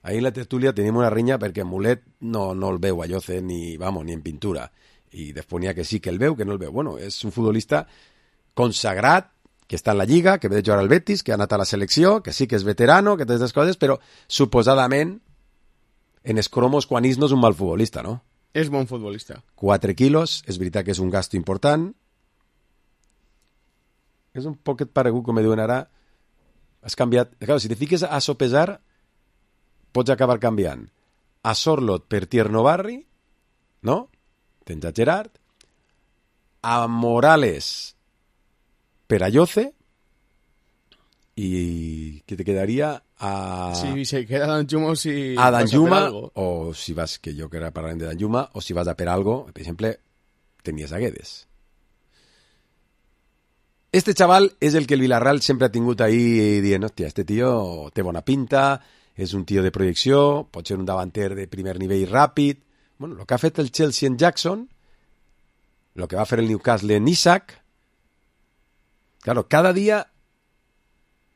Speaker 3: Ahí en la tertúlia tenim una rinya perquè Mulet no, no el veu Ayoce ni, vamos, ni en pintura. I després n'hi ha que sí que el veu, que no el veu. Bueno, és un futbolista consagrat, que està en la Lliga, que ve de jugar al Betis, que ha anat a la selecció, que sí que és veterano, que té aquestes coses, però suposadament en els cromos quan és no és un mal futbolista, no?
Speaker 4: És bon futbolista.
Speaker 3: quatre quilos, és veritat que és un gasto important. És un poquet paregut, com me diuen ara. Has canviat... Claro, si te fiques a sopesar, pots acabar canviant a Sorloth per Tierno Barri, no? Tens a Gerard. A Morales per Ayoce. I què te quedaria? A...
Speaker 4: Si se queda Danjuma o si...
Speaker 3: A Danjuma, o si vas, que jo que ara parlarem de Danjuma, o si vas a per algo, per exemple, tenies a Guedes. Este chaval és el que el Villarreal sempre ha tingut ahí dient, hòstia, este tio té bona pinta, és un tio de projecció, pot ser un davanter de primer nivell ràpid. Bueno, el que ha fet el Chelsea en Jackson, el que va fer el Newcastle en Isaac, claro, cada dia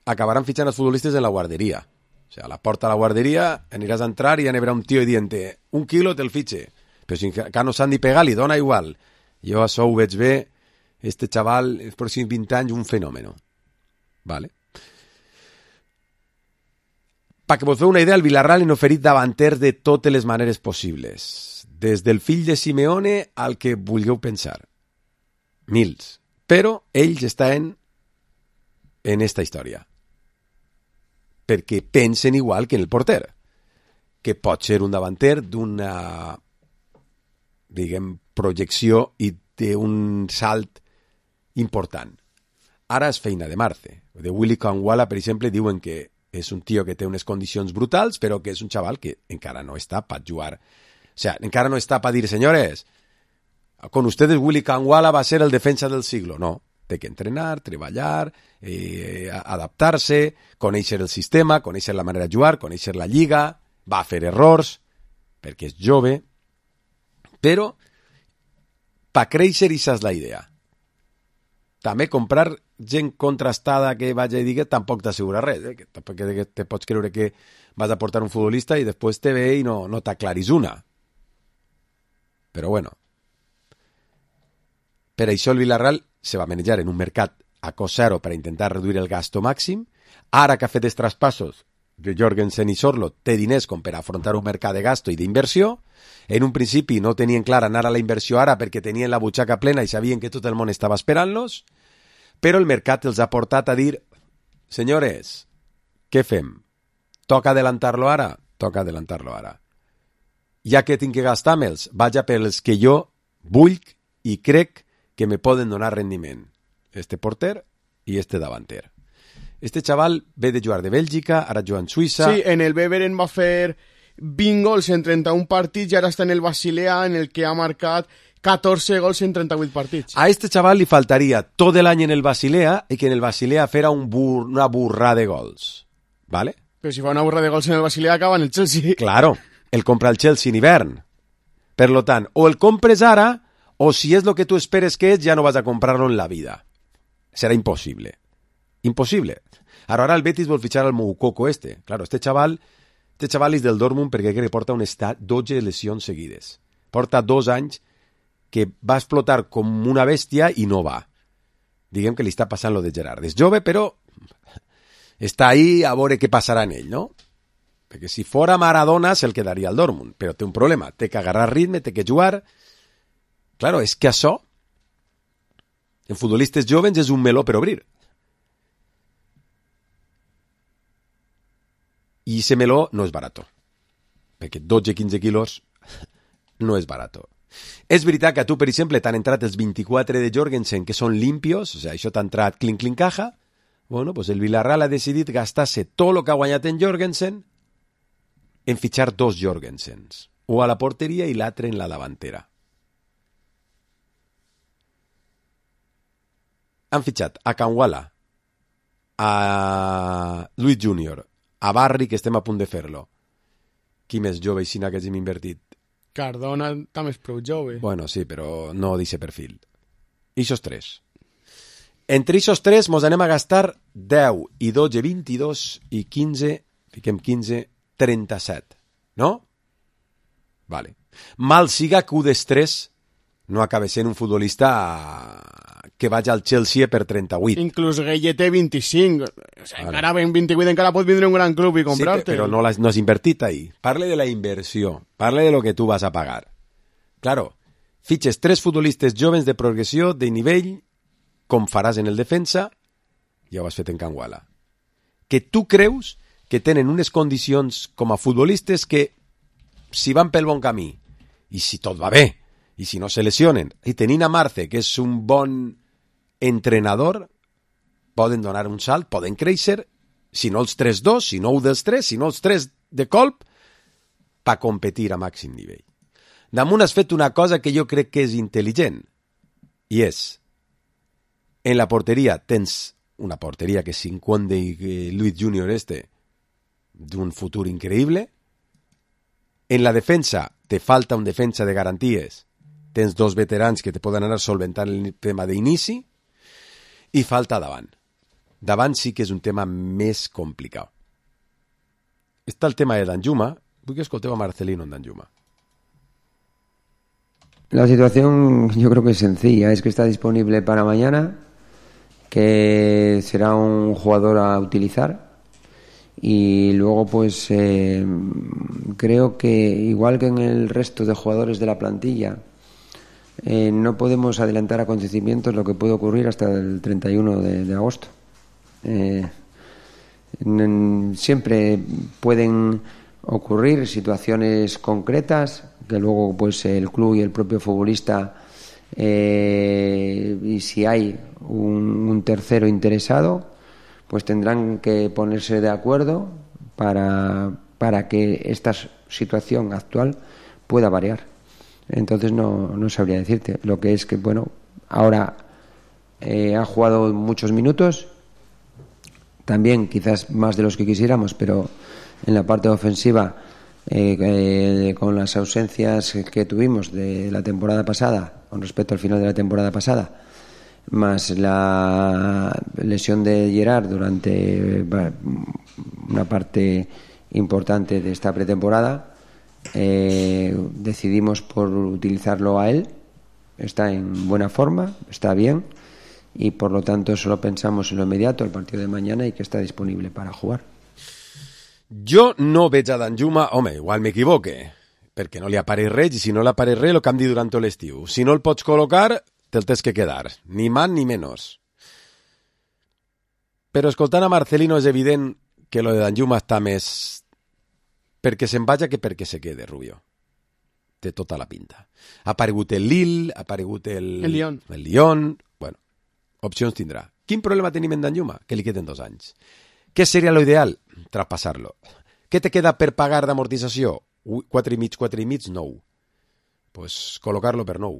Speaker 3: acabaran fichant els futbolistes en la guarderia. O sea, a la porta de la guarderia aniràs a entrar i ja n'hi haurà un tio dient un quilo te'l fitxe. Però si encara no s'han ni pegar, li dona igual. Jo això ho veig bé. Este chaval, els pròxims vint anys, un fenòmeno. Vale? Perquè vos feu una idea, el Villarreal han oferit davanters de totes les maneres possibles. Des del fill de Simeone al que vulgueu pensar. Mils. Però ells estan en esta història. Perquè pensen igual que en el porter. Que pot ser un davanter d'una, diguem, projecció i té un salt important. Ara és feina de Marce. De Willy Kangwala, per exemple, diuen que és un tio que té unes condicions brutals, però que és un xaval que encara no està per jugar. O sea, encara no està per dir, senyores, con ustedes Willy Kangwala va a ser el defensa del siglo. No, té que entrenar, treballar, eh, adaptar-se, conèixer el sistema, conèixer la manera de jugar, conèixer la lliga, va fer errors, perquè és jove, però per créixer això és la idea. També comprar gent contrastada que vagi i digui tampoc t'assegura res, eh? Que tampoc que te pots creure que vas a portar un futbolista i després te ve i no, no t'aclaris una. Però bueno, per això el Villarreal se va manejar en un mercat a cost zero per intentar reduir el gasto màxim. Ara que ha fet els traspassos de Jorgensen i Sorloth, té diners com per afrontar un mercat de gasto i d'inversió. En un principi no tenien clar anar a la inversió ara perquè tenien la butxaca plena i sabien que tot el món estava esperant-los, però el mercat els ha portat a dir, senyores, què fem? Toca adelantar-lo ara? Toca adelantar-lo ara. Ja que tinc que gastar-me'ls, vaig a pels que jo vull i crec que me poden donar rendiment. Este porter i este davanter. Este xaval ve de jugar de Bèlgica, ara juga en Suïssa...
Speaker 4: Sí, en el Beveren va fer vint gols en trenta-un partits i ara està en el Basilea, en el que ha marcat catorze gols en trenta-vuit partits.
Speaker 3: A este chaval li faltaria tot l'any en el Basilea i que en el Basilea fera un bur una burra de gols. ¿Vale?
Speaker 4: Però si fa una burra de gols en el Basilea acaba en el Chelsea.
Speaker 3: Claro, el compra el Chelsea en hivern. Per lo tant, o el compres ara o si és lo que tu esperes que és, ja no vas a comprar-lo en la vida. Serà impossible. Impossible. Ara, ara el Betis vol fitxar al Moukoko este. Claro, este chaval, este chaval és del Dortmund perquè crec que porta un estat dotze lesions seguides. Porta dos anys que va explotar com una bèstia i no va. Diguem que li està passant lo de Gerard. És jove, però està ahí a veure què passarà en ell, no? Perquè si fora Maradona se'l quedaria al Dortmund, però té un problema. Té que agarrar ritme, té que jugar. Claro, és que això en futbolistes jovens és un meló per obrir. I ese meló no és barat, perquè dotze a quinze quilos no és barato. És veritat que a tu, per exemple, t'han entrat els vint-i-quatre de Jorgensen, que són limpios, o sigui, això t'ha entrat clink, clink, caja. Bueno, pues el Villarreal ha decidit gastar-se tot el que ha guanyat en Jorgensen en fitxar dos Jorgensens, o a la porteria i l'altre en la davantera. Han fitxat a Kanwala, a Luis júnior, a Barri, que estem a punt de fer-lo. Qui més jove i sina que hàgim invertit?
Speaker 4: Cardona també és prou jove.
Speaker 3: Bueno, sí, però no d'aquest perfil. Ixos tres. Entre ixos tres mos anem a gastar deu i dotze, vint-i-dos i quinze, fiquem quinze, trenta-set. No? Vale. Mal siga que un dels tres no acaba sent un futbolista que vagi al Chelsea per trenta-vuit.
Speaker 4: Inclús Gueye té vint-i-cinc. O sigui, vale. Encara ben vint-i-vuit, encara pot vindre un gran club i comprar-te.
Speaker 3: Sí, però no, no has invertit ahí. Parle de la inversió. Parle de lo que tu vas a pagar. Claro, fitxes tres futbolistes joves de progressió, de nivell, com faràs en el defensa, ja ho has fet en Kanwala. Que tu creus que tenen unes condicions com a futbolistes que, si van pel bon camí, i si tot va bé, i si no se lesionen, i tenint a Marce, que és un bon entrenador, poden donar un salt, poden créixer, si no els tres dos, si no un dels tres, si no els tres de colp, per competir a màxim nivell. Damunt has fet una cosa que jo crec que és intel·ligent, i és, en la porteria tens una porteria que cinquanta i Luis júnior este, d'un futur increïble. En la defensa te falta un defensa de garanties, tens dos veterans que te poden anar solventant el tema d'inici, i falta davant. Davant sí que és un tema més complicat. Està el tema de Danjuma. Vull que escolteu a Marcelino en Danjuma.
Speaker 13: La situación yo creo que es sencilla, es que está disponible para mañana, que será un jugador a utilizar, y luego pues eh, creo que igual que en el resto de jugadores de la plantilla, eh, no podemos adelantar acontecimientos lo que puede ocurrir hasta el treinta y uno de, de agosto. Eh, en, siempre pueden ocurrir situaciones concretas que luego pues el club y el propio futbolista, eh, y si hay un, un tercero interesado, pues tendrán que ponerse de acuerdo para, para que esta situación actual pueda variar. Entonces no, no sabría decirte. Lo que es que, bueno, ahora eh, ha jugado muchos minutos, también quizás más de los que quisiéramos, pero en la parte ofensiva, eh, eh, con las ausencias que tuvimos de la temporada pasada, con respecto al final de la temporada pasada, más la lesión de Gerard durante una parte importante de esta pretemporada, eh, decidimos por utilizarlo a él. Está en buena forma, está bien, y por lo tanto solo pensamos en lo inmediato, el partido de mañana, y que está disponible para jugar.
Speaker 3: Jo no veig a Danjuma, home, igual m'equivoque, perquè no li apareix res, i si no li apareix res, el que hem dit durant tot l'estiu. Si no el pots col·locar, te'l tens que quedar, ni más ni menos. Però escoltant a Marcelino és evident que lo de Danjuma està més perquè se'n vaja que perquè se quede, Rubio. Té tota la pinta. Ha aparegut el Lille, ha aparegut el...
Speaker 4: El Lyon.
Speaker 3: El Lyon. Bueno, opcions tindrà. Quin problema tenim en Danjuma? Que li queden dos anys. Què seria lo ideal? Traspassar-lo. Què te queda per pagar d'amortització? Quatre i mig, quatre i mig, nou. Pues col·locar-lo per nou.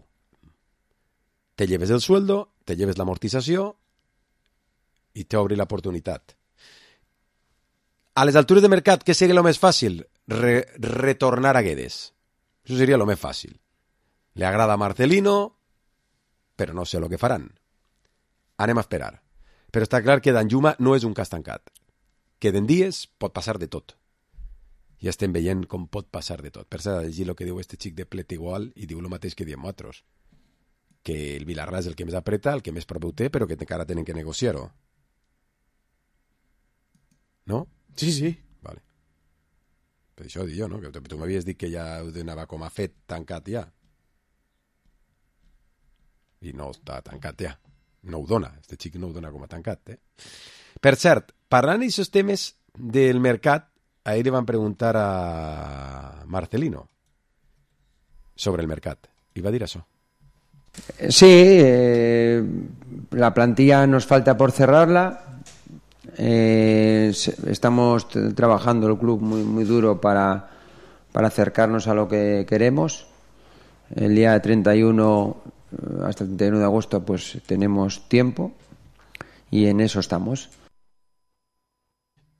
Speaker 3: Te lleves el sueldo, te lleves l'amortització i t'obri l'oportunitat. A les altures de mercat, què seria lo més fàcil? Re retornar a Guedes. Això seria lo més fàcil. Le agrada a Marcelino, però no sé lo que faran. Anem a esperar. Però està clar que Danjuma no és un cas tancat. Queden dies, pot passar de tot. Ja estem veient com pot passar de tot. Per cert, llegir el que diu este xic de Plet igual i diu el mateix que diem nosaltres. Que el Villarreal és el que més apreta, el que més prop ho té, però que encara tenen que negociar-ho. No?
Speaker 4: Sí, sí.
Speaker 3: Vale. Per això dic jo, no? Que tu m'havies dit que ja ho donava com a fet tancat ja. I no està tancat ja. No ho dona. Este xic no ho dona com a tancat, eh? Per cert, parlant d'aquests temes del mercat, ahir li van preguntar a Marcelino sobre el mercat. I va dir això.
Speaker 13: Sí, eh, la plantilla nos falta por cerrarla. Eh, estamos t- trabajando el club muy, muy duro para, para acercarnos a lo que queremos. El día treinta y uno, hasta el treinta y uno de agosto, pues tenemos tiempo y en eso estamos.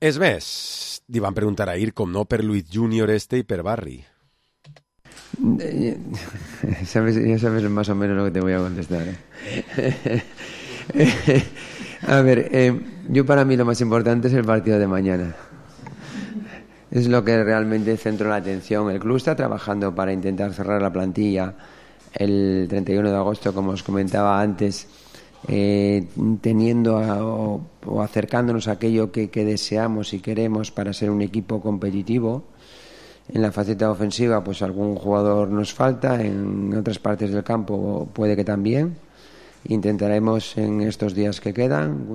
Speaker 3: És més, li van preguntar ahir com no per Luis Junior este y per Barry.
Speaker 13: sabes, ya sabes más o menos lo que te voy a contestar, ¿eh? A ver, eh, yo para mí lo más importante es el partido de mañana. Es lo que realmente centro la atención. El club está trabajando para intentar cerrar la plantilla el treinta y uno de agosto, como os comentaba antes, eh, teniendo a, o, o acercándonos a aquello que, que deseamos y queremos para ser un equipo competitivo. En la faceta ofensiva, pues algún jugador nos falta, en otras partes del campo puede que también. Intentaremos en estos días que quedan,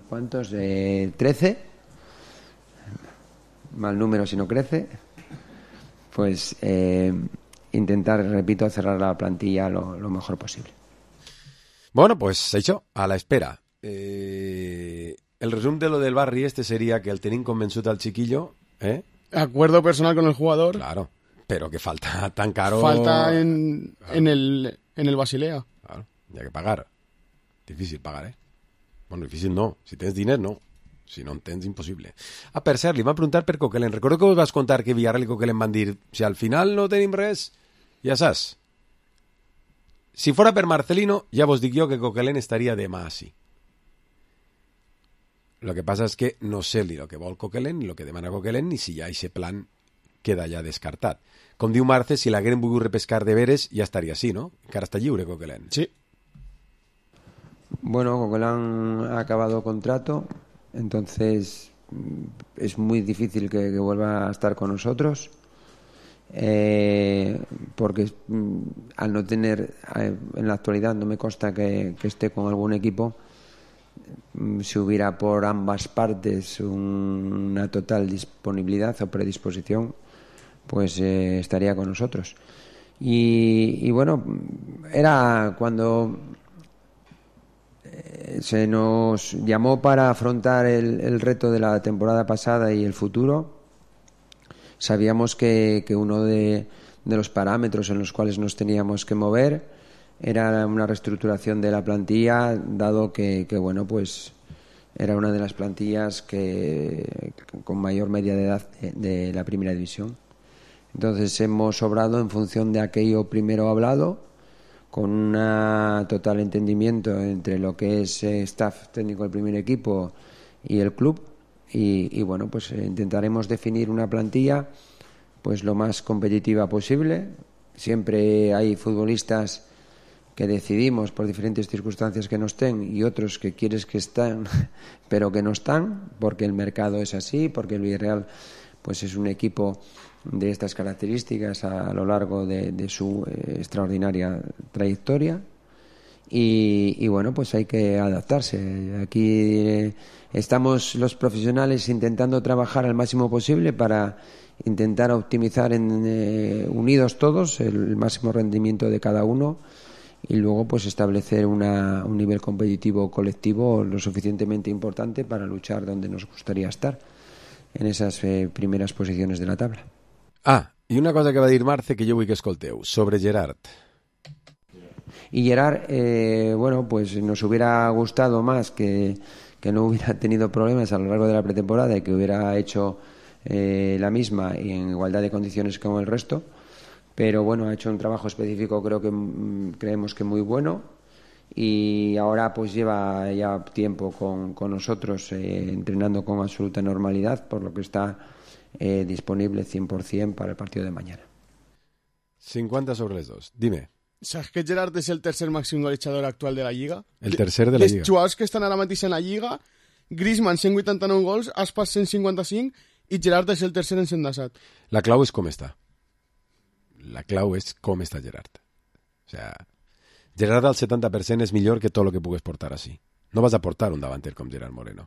Speaker 13: ¿cuántos? Eh, trece. Mal número si no crece. Pues eh, intentar, repito, cerrar la plantilla lo, lo mejor posible.
Speaker 3: Bueno, pues això, a la espera. Eh, el resum de lo del Barry este sería que el tenim convençut al chiquillo, ¿eh?
Speaker 4: Acuerdo personal con el jugador.
Speaker 3: Claro, pero que falta tan caro.
Speaker 4: Falta en, claro. en, el, en el Basilea.
Speaker 3: Claro, hay que pagar. Difícil pagar, ¿eh? Bueno, difícil no. Si tens diners, no. Si no en tens, impossible. Ah, per cert, li van preguntar per Coquelin. Recordo que us vas contar que Villarreal i Coquelin van dir si al final no tenim res, ja saps. Si fora per Marcelino, ja vos dic jo que Coquelin estaria demà així. Lo que pasa es que no sé ni lo que vol Coquelin, ni lo que demana Coquelin, ni si ja aquest plan queda ja descartat. Com diu Marce, si l'hagueren volgut repescar de veres, ja estaria així, no? Encara està lliure Coquelin.
Speaker 4: Sí.
Speaker 13: Bueno, Coquelin ha acabado contrato, entonces es muy difícil que, que vuelva a estar con nosotros, eh, porque mm, al no tener, eh, en la actualidad no me consta que, que esté con algún equipo. Si hubiera por ambas partes un, una total disponibilidad o predisposición, pues eh, estaría con nosotros. Y, y bueno, era cuando eh, se nos llamó para afrontar el, el reto de la temporada pasada y el futuro. Sabíamos que, que uno de, de los parámetros en los cuales nos teníamos que mover era una reestructuración de la plantilla, dado que, que bueno, pues era una de las plantillas que con mayor media de edad de, de la primera división. Entonces hemos obrado en función de aquello primero hablado, con un total entendimiento entre lo que es eh, staff técnico del primer equipo y el club, y, y bueno, pues intentaremos definir una plantilla pues lo más competitiva posible. Siempre hay futbolistas que decidimos por diferentes circunstancias que no estén y otros que quieres que estén pero que no están, porque el mercado es así, porque el Villarreal pues es un equipo de estas características a, a lo largo de, de su eh, extraordinaria trayectoria, y, y bueno, pues hay que adaptarse. Aquí eh, estamos los profesionales intentando trabajar al máximo posible para intentar optimizar en, eh, unidos todos el, el máximo rendimiento de cada uno, y luego pues establecer una, un nivel competitivo colectivo lo suficientemente importante para luchar donde nos gustaría estar, en esas eh, primeras posiciones de la tabla.
Speaker 3: Ah, y una cosa que va a dir Marce que yo vull que escolteu, sobre Gerard.
Speaker 13: Y Gerard, eh, bueno, pues nos hubiera gustado más que, que no hubiera tenido problemas a lo largo de la pretemporada y que hubiera hecho eh, la misma y en igualdad de condiciones como el resto. Pero bueno, ha hecho un trabajo específico, creo que creemos que muy bueno, y ahora pues lleva ya tiempo con, con nosotros eh, entrenando con absoluta normalidad, por lo que está eh, disponible cien por ciento para el partido de mañana.
Speaker 3: cincuenta sobre los dos. Dime.
Speaker 4: ¿Sabes que Gerard es el tercer máximo golejador actual de la Lliga?
Speaker 3: El tercer de la Lliga.
Speaker 4: Els jugadors que estan ara mateix en la Lliga, Griezmann cent vuitanta-nou gols, Aspas cent cinquanta-cinc i Gerard és el tercer en cent disset.
Speaker 3: La clau és com està. La clau és com està Gerard. O sea, Gerard al setanta per cent és millor que tot el que pugues portar així. No vas a portar un davanter com Gerard Moreno.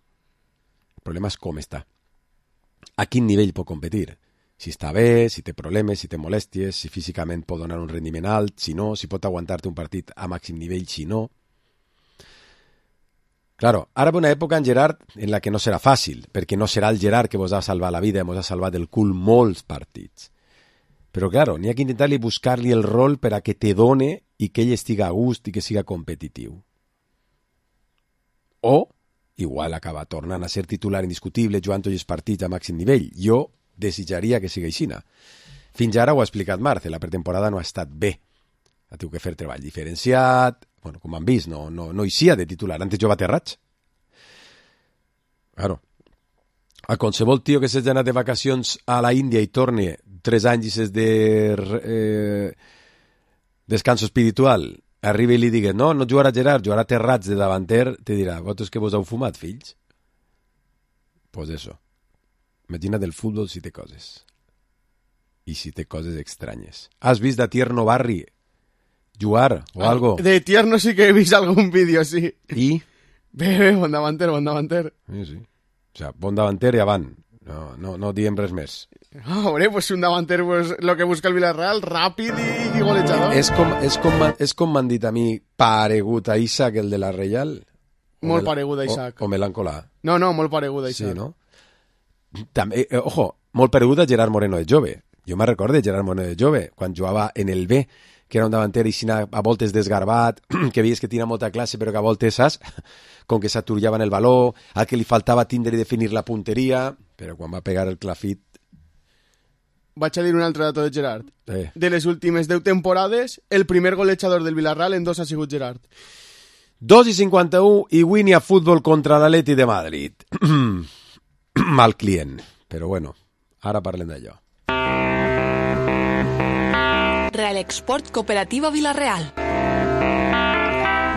Speaker 3: El problema és com està. A quin nivell pot competir. Si està bé, si té problemes, si té molèsties, si físicament pot donar un rendiment alt, si no, si pot aguantar-te un partit a màxim nivell, si no. Claro, ara ve una època en Gerard en la que no serà fàcil, perquè no serà el Gerard que vos ha salvat la vida, vos ha salvat el cul molts partits. Però, claro, n'hi ha que intentar-li buscar-li el rol per a que te done i que ell estiga a gust i que siga competitiu. O, igual acaba tornant a ser titular indiscutible jugant tots els partits a màxim nivell. Jo desitjaria que sigui aixina. Fins ara ho ha explicat Marce, la pretemporada no ha estat bé. Ha tingut que fer treball diferenciat, bueno, com han vist, no, no, no hi sia de titular, antes jo va terraig. Claro. A qualsevol tio que s'hagi anat de vacacions a la Índia i torni tres anys i s'és de eh, descanso espiritual, arriba i li digui, no, no jugarà Gerard, jugarà Terrats de davanter, te dirà, vosaltres que vos heu fumat, fills? Pues eso. Imagina't el futbol si té coses. I si té coses estranyes. Has vist de Tierno Barri jugar o ah, algo?
Speaker 4: De Tierno sí que he vist algun vídeo, sí.
Speaker 3: I?
Speaker 4: Bé, bé, bon davanter, bon davanter.
Speaker 3: Sí, sí. O sea, bon davanter i avant. No, no, no diem res més.
Speaker 4: Ah, hombre, pues un davanter, pues lo que busca el Villarreal, ràpid i, i golejador.
Speaker 3: És com, és com, és com m'han dit a mi, paregut a Isaac, el de la Reial?
Speaker 4: Molt paregut a Isaac.
Speaker 3: O, o Melancolà.
Speaker 4: No, no, molt paregut a Isaac.
Speaker 3: Sí, no? També, eh, ojo, molt paregut a Gerard Moreno de jove. Jo me recordo de Gerard Moreno de jove, quan jugava en el B, que era un davanter i a voltes desgarbat, que veies que tenia molta classe, però que a voltes, saps? Com que s'aturillaven el baló, al que li faltava tindre i definir la punteria, però quan va pegar el clafit...
Speaker 4: Vaig a dir un altre dato de Gerard.
Speaker 3: Eh.
Speaker 4: De les últimes deu temporades, el primer golejador del Villarreal en dos ha sigut Gerard.
Speaker 3: dos i cinquanta-u i Winnie a futbol contra l'Atleti de Madrid. Mal client, però bueno, ara parlem d'allò.
Speaker 10: Real Export Cooperativa Villarreal.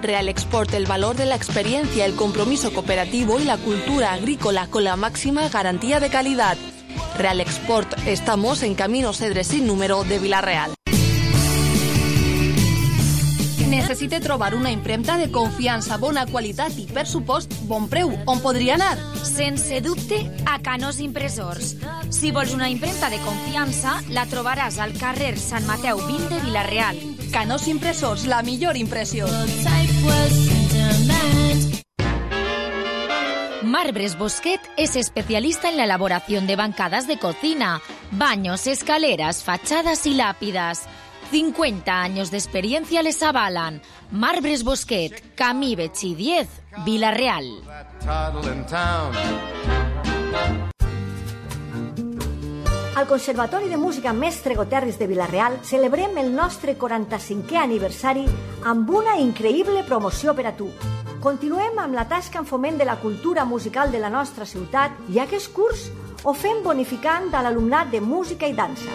Speaker 10: Real Export, el valor de la experiencia, el compromiso cooperativo y la cultura agrícola con la máxima garantía de calidad. Real Export, estamos en Camino Cedre sin número de Villarreal. Necessite trobar una impremta de confiança, bona qualitat i, per supost, bon preu. On podria anar?
Speaker 6: Sense dubte, a Canós Impressors. Si vols una impremta de confiança, la trobaràs al carrer Sant Mateu vint de Vila-real.
Speaker 10: Canós Impressors, la millor impressió.
Speaker 6: Marbres Bosquet es especialista en la elaboración de bancadas de cocina, baños, escaleras, fachadas y lápidas. cincuenta años de experiencia les avalan. Marbres Bosquet, Camí Betxí diez, Vila-real.
Speaker 14: Al Conservatori de Música Mestre Goterris de Vila-real celebrem el nostre quaranta-cinquè aniversari amb una increïble promoció per a tu. Continuem amb la tasca en foment de la cultura musical de la nostra ciutat i aquest curs ho fem bonificant a l'alumnat de música i dansa.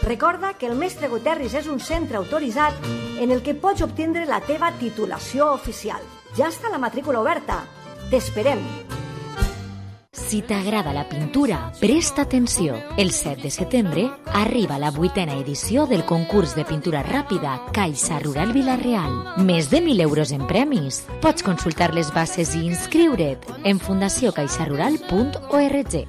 Speaker 14: Recorda que el Mestre Goterris és un centre autoritzat en el que pots obtindre la teva titulació oficial. Ja està la matrícula oberta. T'esperem.
Speaker 6: Si t'agrada la pintura, presta atenció. El set de setembre arriba la vuitena edició del concurs de pintura ràpida Caixa Rural Vila-real. Més de mil euros en premis. Pots consultar les bases i inscriure't en fundació caixa rural punt org.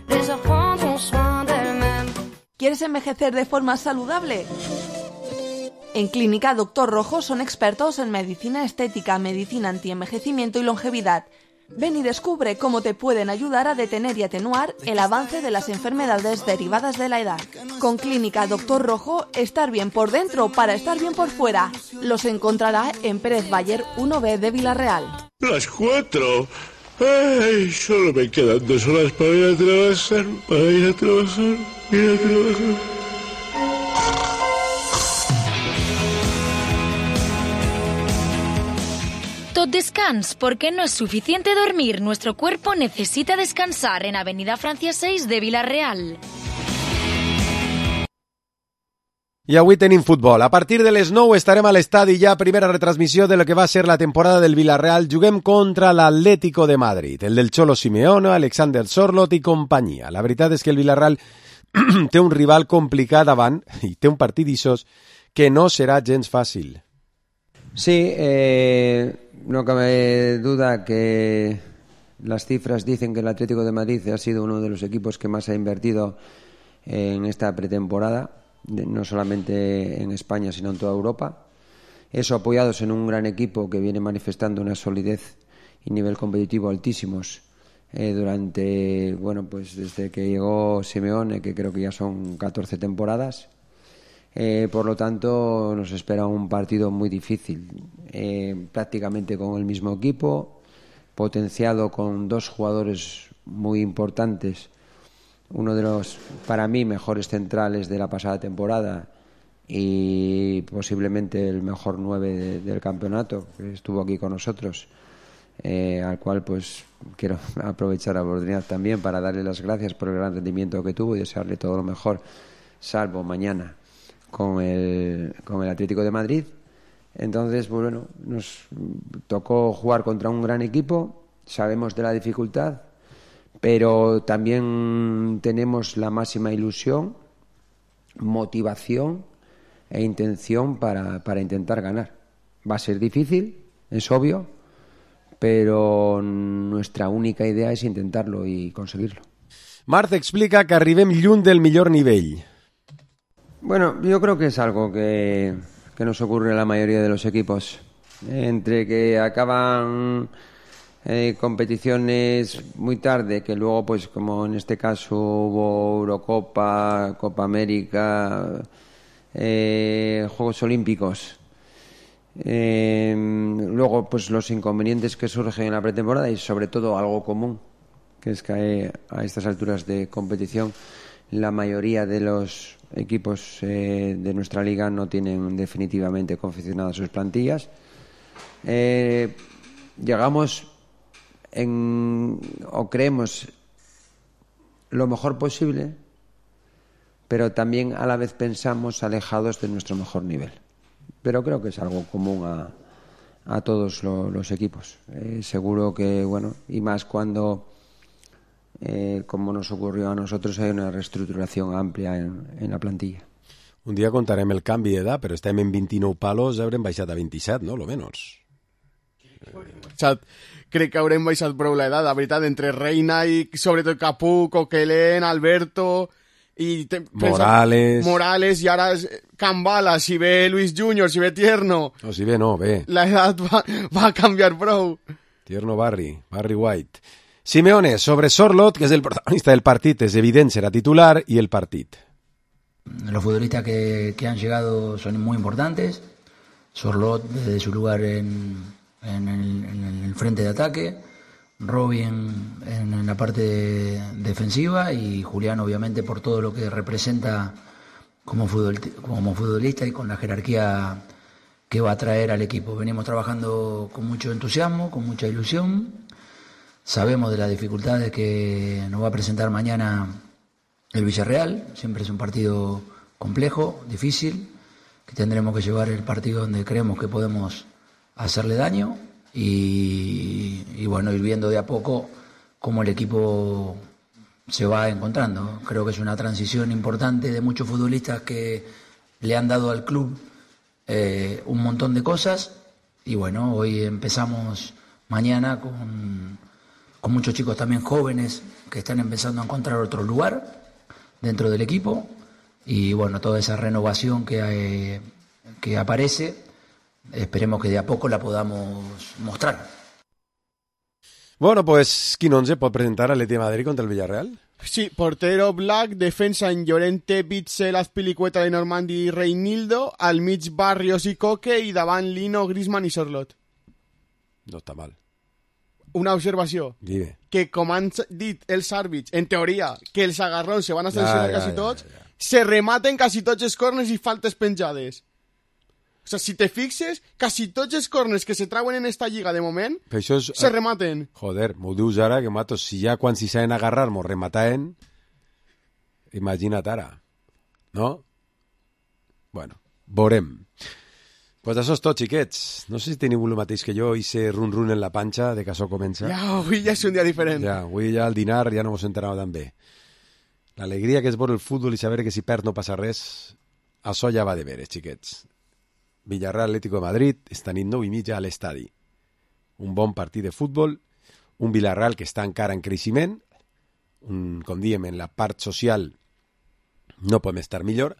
Speaker 10: ¿Quieres envejecer de forma saludable? En Clínica Doctor Rojo son expertos en medicina estética, medicina antienvejecimiento y longevidad. Ven y descubre cómo te pueden ayudar a detener y atenuar el avance de las enfermedades derivadas de la edad. Con Clínica Doctor Rojo, estar bien por dentro para estar bien por fuera. Los encontrará en Pérez Bayer uno B de Vila-real.
Speaker 15: Las cuatro. Ay, solo me quedan dos horas para ir a trabajar, para ir a trabajar, ir a trabajar.
Speaker 6: Tot descans, porque no es suficiente dormir. Nuestro cuerpo necesita descansar en Avenida Francia seis de Vila-real.
Speaker 3: I avui tenim futbol. A partir de les nou estarem a l'estadi ja, primera retransmissió de lo que va ser la temporada del Villarreal. Juguem contra l'Atlético de Madrid, el del Cholo Simeone, Alexander Sorloth i companyia. La veritat és que el Villarreal té un rival complicat davant i té un partit d'ixos que no serà gens fàcil.
Speaker 13: Sí, eh, no cabe duda que las cifras dicen que el Atlético de Madrid ha sido uno de los equipos que más ha invertido en esta pretemporada, no solamente en España sino en toda Europa. Eso apoyados en un gran equipo que viene manifestando una solidez y nivel competitivo altísimos eh, durante, bueno, pues desde que llegó Simeone, que creo que ya son catorce temporadas. Eh, por lo tanto, nos espera un partido muy difícil, eh, prácticamente con el mismo equipo, potenciado con dos jugadores muy importantes, uno de los, para mí, mejores centrales de la pasada temporada y posiblemente el mejor nueve de, del campeonato, que estuvo aquí con nosotros, eh, al cual pues quiero aprovechar la oportunidad también para darle las gracias por el gran rendimiento que tuvo y desearle todo lo mejor, salvo mañana con el, con el Atlético de Madrid. Entonces, pues bueno, nos tocó jugar contra un gran equipo, sabemos de la dificultad, pero también tenemos la máxima ilusión, motivación e intención para, para intentar ganar. Va a ser difícil, es obvio, pero nuestra única idea es intentarlo y conseguirlo.
Speaker 3: Marc explica que arribem lluny del millor nivell.
Speaker 13: Bueno, yo creo que es algo que, que nos ocurre a la mayoría de los equipos. Entre que acaban eh, competiciones muy tarde, que luego, pues como en este caso hubo Eurocopa, Copa América, eh, Juegos Olímpicos, eh, luego pues los inconvenientes que surgen en la pretemporada y sobre todo algo común, que es que a estas alturas de competición la mayoría de los equipos eh, de nuestra liga no tienen definitivamente confeccionadas sus plantillas. Eh, llegamos en, o creemos lo mejor posible, pero también a la vez pensamos alejados de nuestro mejor nivel. Pero creo que es algo común a, a todos lo, los equipos. Eh, seguro que, bueno, y más cuando Eh, como nos ocurrió a nosotros, hay una reestructuración amplia en, en la plantilla.
Speaker 3: Un dia contarem el canvi d'edat, però estem en vint-i-nou palos, haurem baixat a vint-i-set, no? Lo menos.
Speaker 4: Baixat. Crec que haurem baixat prou l'edat, la veritat, entre Reina i sobretot Capú, Coquelin, Alberto i te,
Speaker 3: Morales.
Speaker 4: Pensa, Morales i ara Cambala, si ve Luis Junior, si ve Tierno.
Speaker 3: No, si ve no, ve.
Speaker 4: L'edat va, va canviar prou.
Speaker 3: Tierno Barry, Barry White. Simeone, sobre Sorloth, que es el protagonista del partido, es evidente, será titular, y el partido.
Speaker 16: Los futbolistas que, que han llegado son muy importantes. Sorloth desde su lugar en, en, el, en el frente de ataque, Robin en, en la parte defensiva y Julián obviamente por todo lo que representa como, futbol, como futbolista y con la jerarquía que va a traer al equipo. Venimos trabajando con mucho entusiasmo, con mucha ilusión. Sabemos de las dificultades que nos va a presentar mañana el Villarreal. Siempre es un partido complejo, difícil, que tendremos que llevar el partido donde creemos que podemos hacerle daño y, y bueno, ir viendo de a poco cómo el equipo se va encontrando. Creo que es una transición importante de muchos futbolistas que le han dado al club eh, un montón de cosas y bueno, hoy empezamos mañana con... con muchos chicos también jóvenes que están empezando a encontrar otro lugar dentro del equipo y bueno, toda esa renovación que, eh, que aparece, esperemos que de a poco la podamos mostrar.
Speaker 3: Bueno, pues quin once pot presentar l'Atleti de Madrid contra el Villarreal?
Speaker 4: Sí, portero Black, defensa en Llorente, Bitzel, Azpilicueta, Lenormandi i Reinildo, al mig Barrios i Coque i davant Lino, Griezmann i Sorloth.
Speaker 3: No està mal.
Speaker 4: Una observació.
Speaker 3: Dime.
Speaker 4: Que com han dit els àrbits, en teoria, que els agarrons se van a sancionar
Speaker 3: ja, ja,
Speaker 4: quasi
Speaker 3: ja,
Speaker 4: tots,
Speaker 3: ja, ja.
Speaker 4: se rematen quasi tots els corners i faltes penjades. O sigui, si te fixes, quasi tots els corners que se trauen en esta lliga de moment
Speaker 3: és...
Speaker 4: se rematen.
Speaker 3: Joder, m'ho dius ara, que matos, si ja quan s'hi saben agarrar m'ho remataven, imagina't ara. No? Bueno, veurem. Pues això és tot, xiquets. No sé si teniu el mateix que jo, hice run-run en la panxa de que això comença.
Speaker 4: Ja, avui ja és un dia diferent.
Speaker 3: Ja, avui ja al dinar ja no mos enterava tan bé. L'alegria que és veure el futbol i saber que si perd no passa res, això ja va de veres, xiquets. Villarreal Atlético de Madrid, esta nit nou i mitja a l'estadi. Un bon partit de futbol, un Villarreal que està encara en creixement, un, com diem, en la part social no podem estar millor.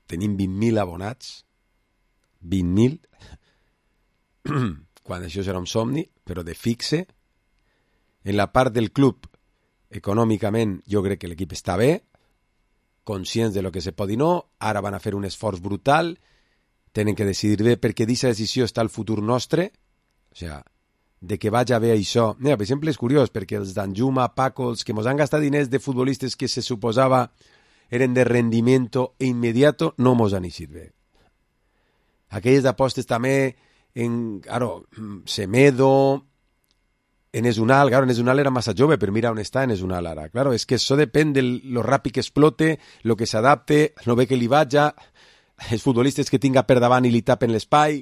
Speaker 3: Tenim vint mil abonats, vint mil, quan això serà un somni, però de fixe. En la part del club, econòmicament, jo crec que l'equip està bé, conscients de lo que se pot i no, ara van a fer un esforç brutal, tenen que decidir bé, perquè d'aquesta decisió està el futur nostre, o sigui, de que vaig a bé això. Mira, per exemple, és curiós, perquè els Danjuma, Paco, els que mos han gastat diners de futbolistes que se suposava eren de rendimiento e inmediato, no mos han eixit bé. Aquelles apostes també en, claro, Semedo, en Esunal, claro, en Esunal era massa jove, però mira on està en Esunal ara. Claro, és que això depèn de lo ràpid que explote, lo que s'adapte, lo bé que li vaja, els futbolistes que tinga per davant i li tapen l'espai,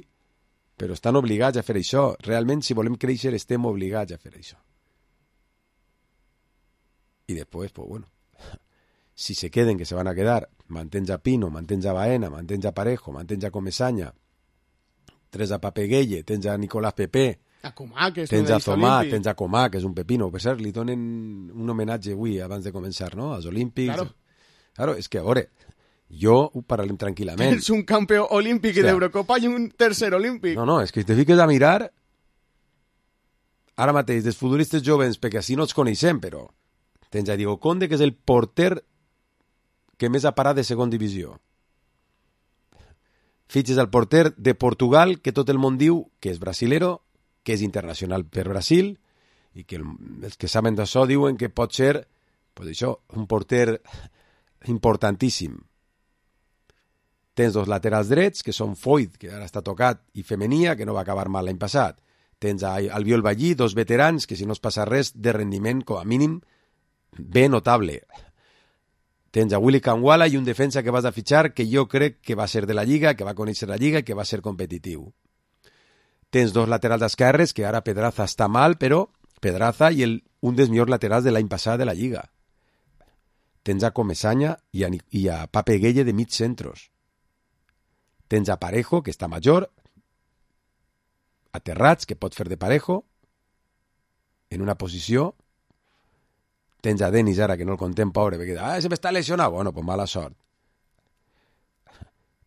Speaker 3: però estan obligats a fer això. Realment, si volem créixer, estem obligats a fer això. I després, pues bueno, si se queden, que se van a quedar, mantens a Pino, mantens a Baena, mantens a Parejo, mantens a Comesaña, tres a Papeguelle, tens a Nicolás Pepe,
Speaker 4: a Comà, que és
Speaker 3: tens a Zomà, tens a Comà, que és un pepino. Per cert, li donen un homenatge avui, abans de començar, no?, als Olímpics.
Speaker 4: Claro.
Speaker 3: Claro, és que, a veure, jo ho parlem tranquil·lament.
Speaker 4: Tens un campió olímpic
Speaker 3: Hòstia.
Speaker 4: d'Eurocopa i un tercer olímpic.
Speaker 3: No, no, és que si te fiques a mirar, ara mateix, dels futbolistes jovens, perquè així no els coneixem, però tens a Diego Conde, que és el porter que més ha parat de segon divisió. Fitxes al porter de Portugal, que tot el món diu que és brasilero, que és internacional per Brasil, i que el, els que saben d'això diuen que pot ser, pues això, un porter importantíssim. Tens dos laterals drets, que són Foyt, que ara està tocat, i Femenia, que no va acabar mal l'any passat. Tens a Albiol Ballí, dos veterans, que si no es passa res, de rendiment, com a mínim, bé notable. Tens a Willy Kangwala i un defensa que vas a fitxar, que jo crec que va ser de la Lliga, que va conèixer la Lliga, que va ser competitiu. Tens dos laterals esquerres, que ara Pedraza està mal, però Pedraza i el, un dels millors laterals de l'any passat de la Lliga. Tens a Comesaña i a, i a Papeguelle de mig centros. Tens a Parejo, que està major, a Terrats, que pot fer de Parejo, en una posició. Tens a Denis ara, que no el contem, pobre, perquè ah, se m'està lesionat. Bueno, pues mala sort.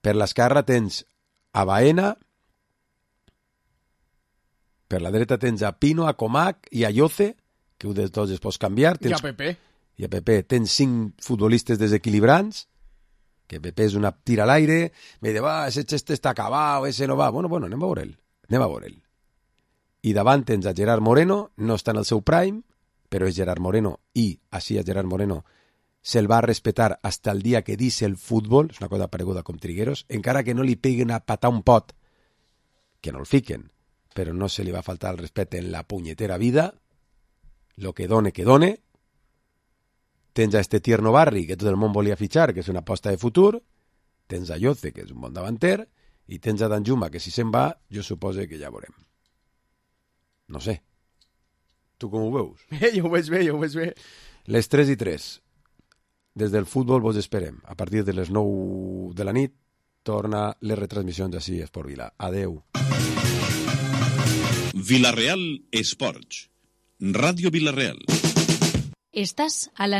Speaker 3: Per l'esquerra tens a Baena, per la dreta tens a Pino, a Comac i a Yoce, que un dels dos es pots canviar. Tens,
Speaker 4: I a Pepe.
Speaker 3: I a Pepe. Tens cinc futbolistes desequilibrants, que Pepe és una tira a l'aire, me diu, va, ese xeste està acabat, ese no va. Bueno, bueno, anem a veure'l. Anem a veure'l. I davant tens a Gerard Moreno, no està en el seu prime, però és Gerard Moreno, i així a Gerard Moreno se'l va respetar hasta el dia que dice el futbol, és una cosa pareguda com Trigueros, encara que no li peguen a patar un pot, que no el fiquen, però no se li va faltar el respecte en la punyetera vida, lo que done, que done. Tens a este tierno Barri, que tot el món volia fitxar, que és una aposta de futur, tens a Yoce, que és un bon davanter, i tens a Danjuma, que si se'n va, jo supose que ja veurem. No sé. Tu com ho veus?
Speaker 4: Bé, jo ho veig bé, jo ho veig bé.
Speaker 3: Les tres i tres. Des del futbol vos esperem. A partir de les nou de la nit torna les retransmissions així a Esport Vila. Adeu.
Speaker 2: Vila Real Esports. Ràdio Vila Real.
Speaker 6: Estás a la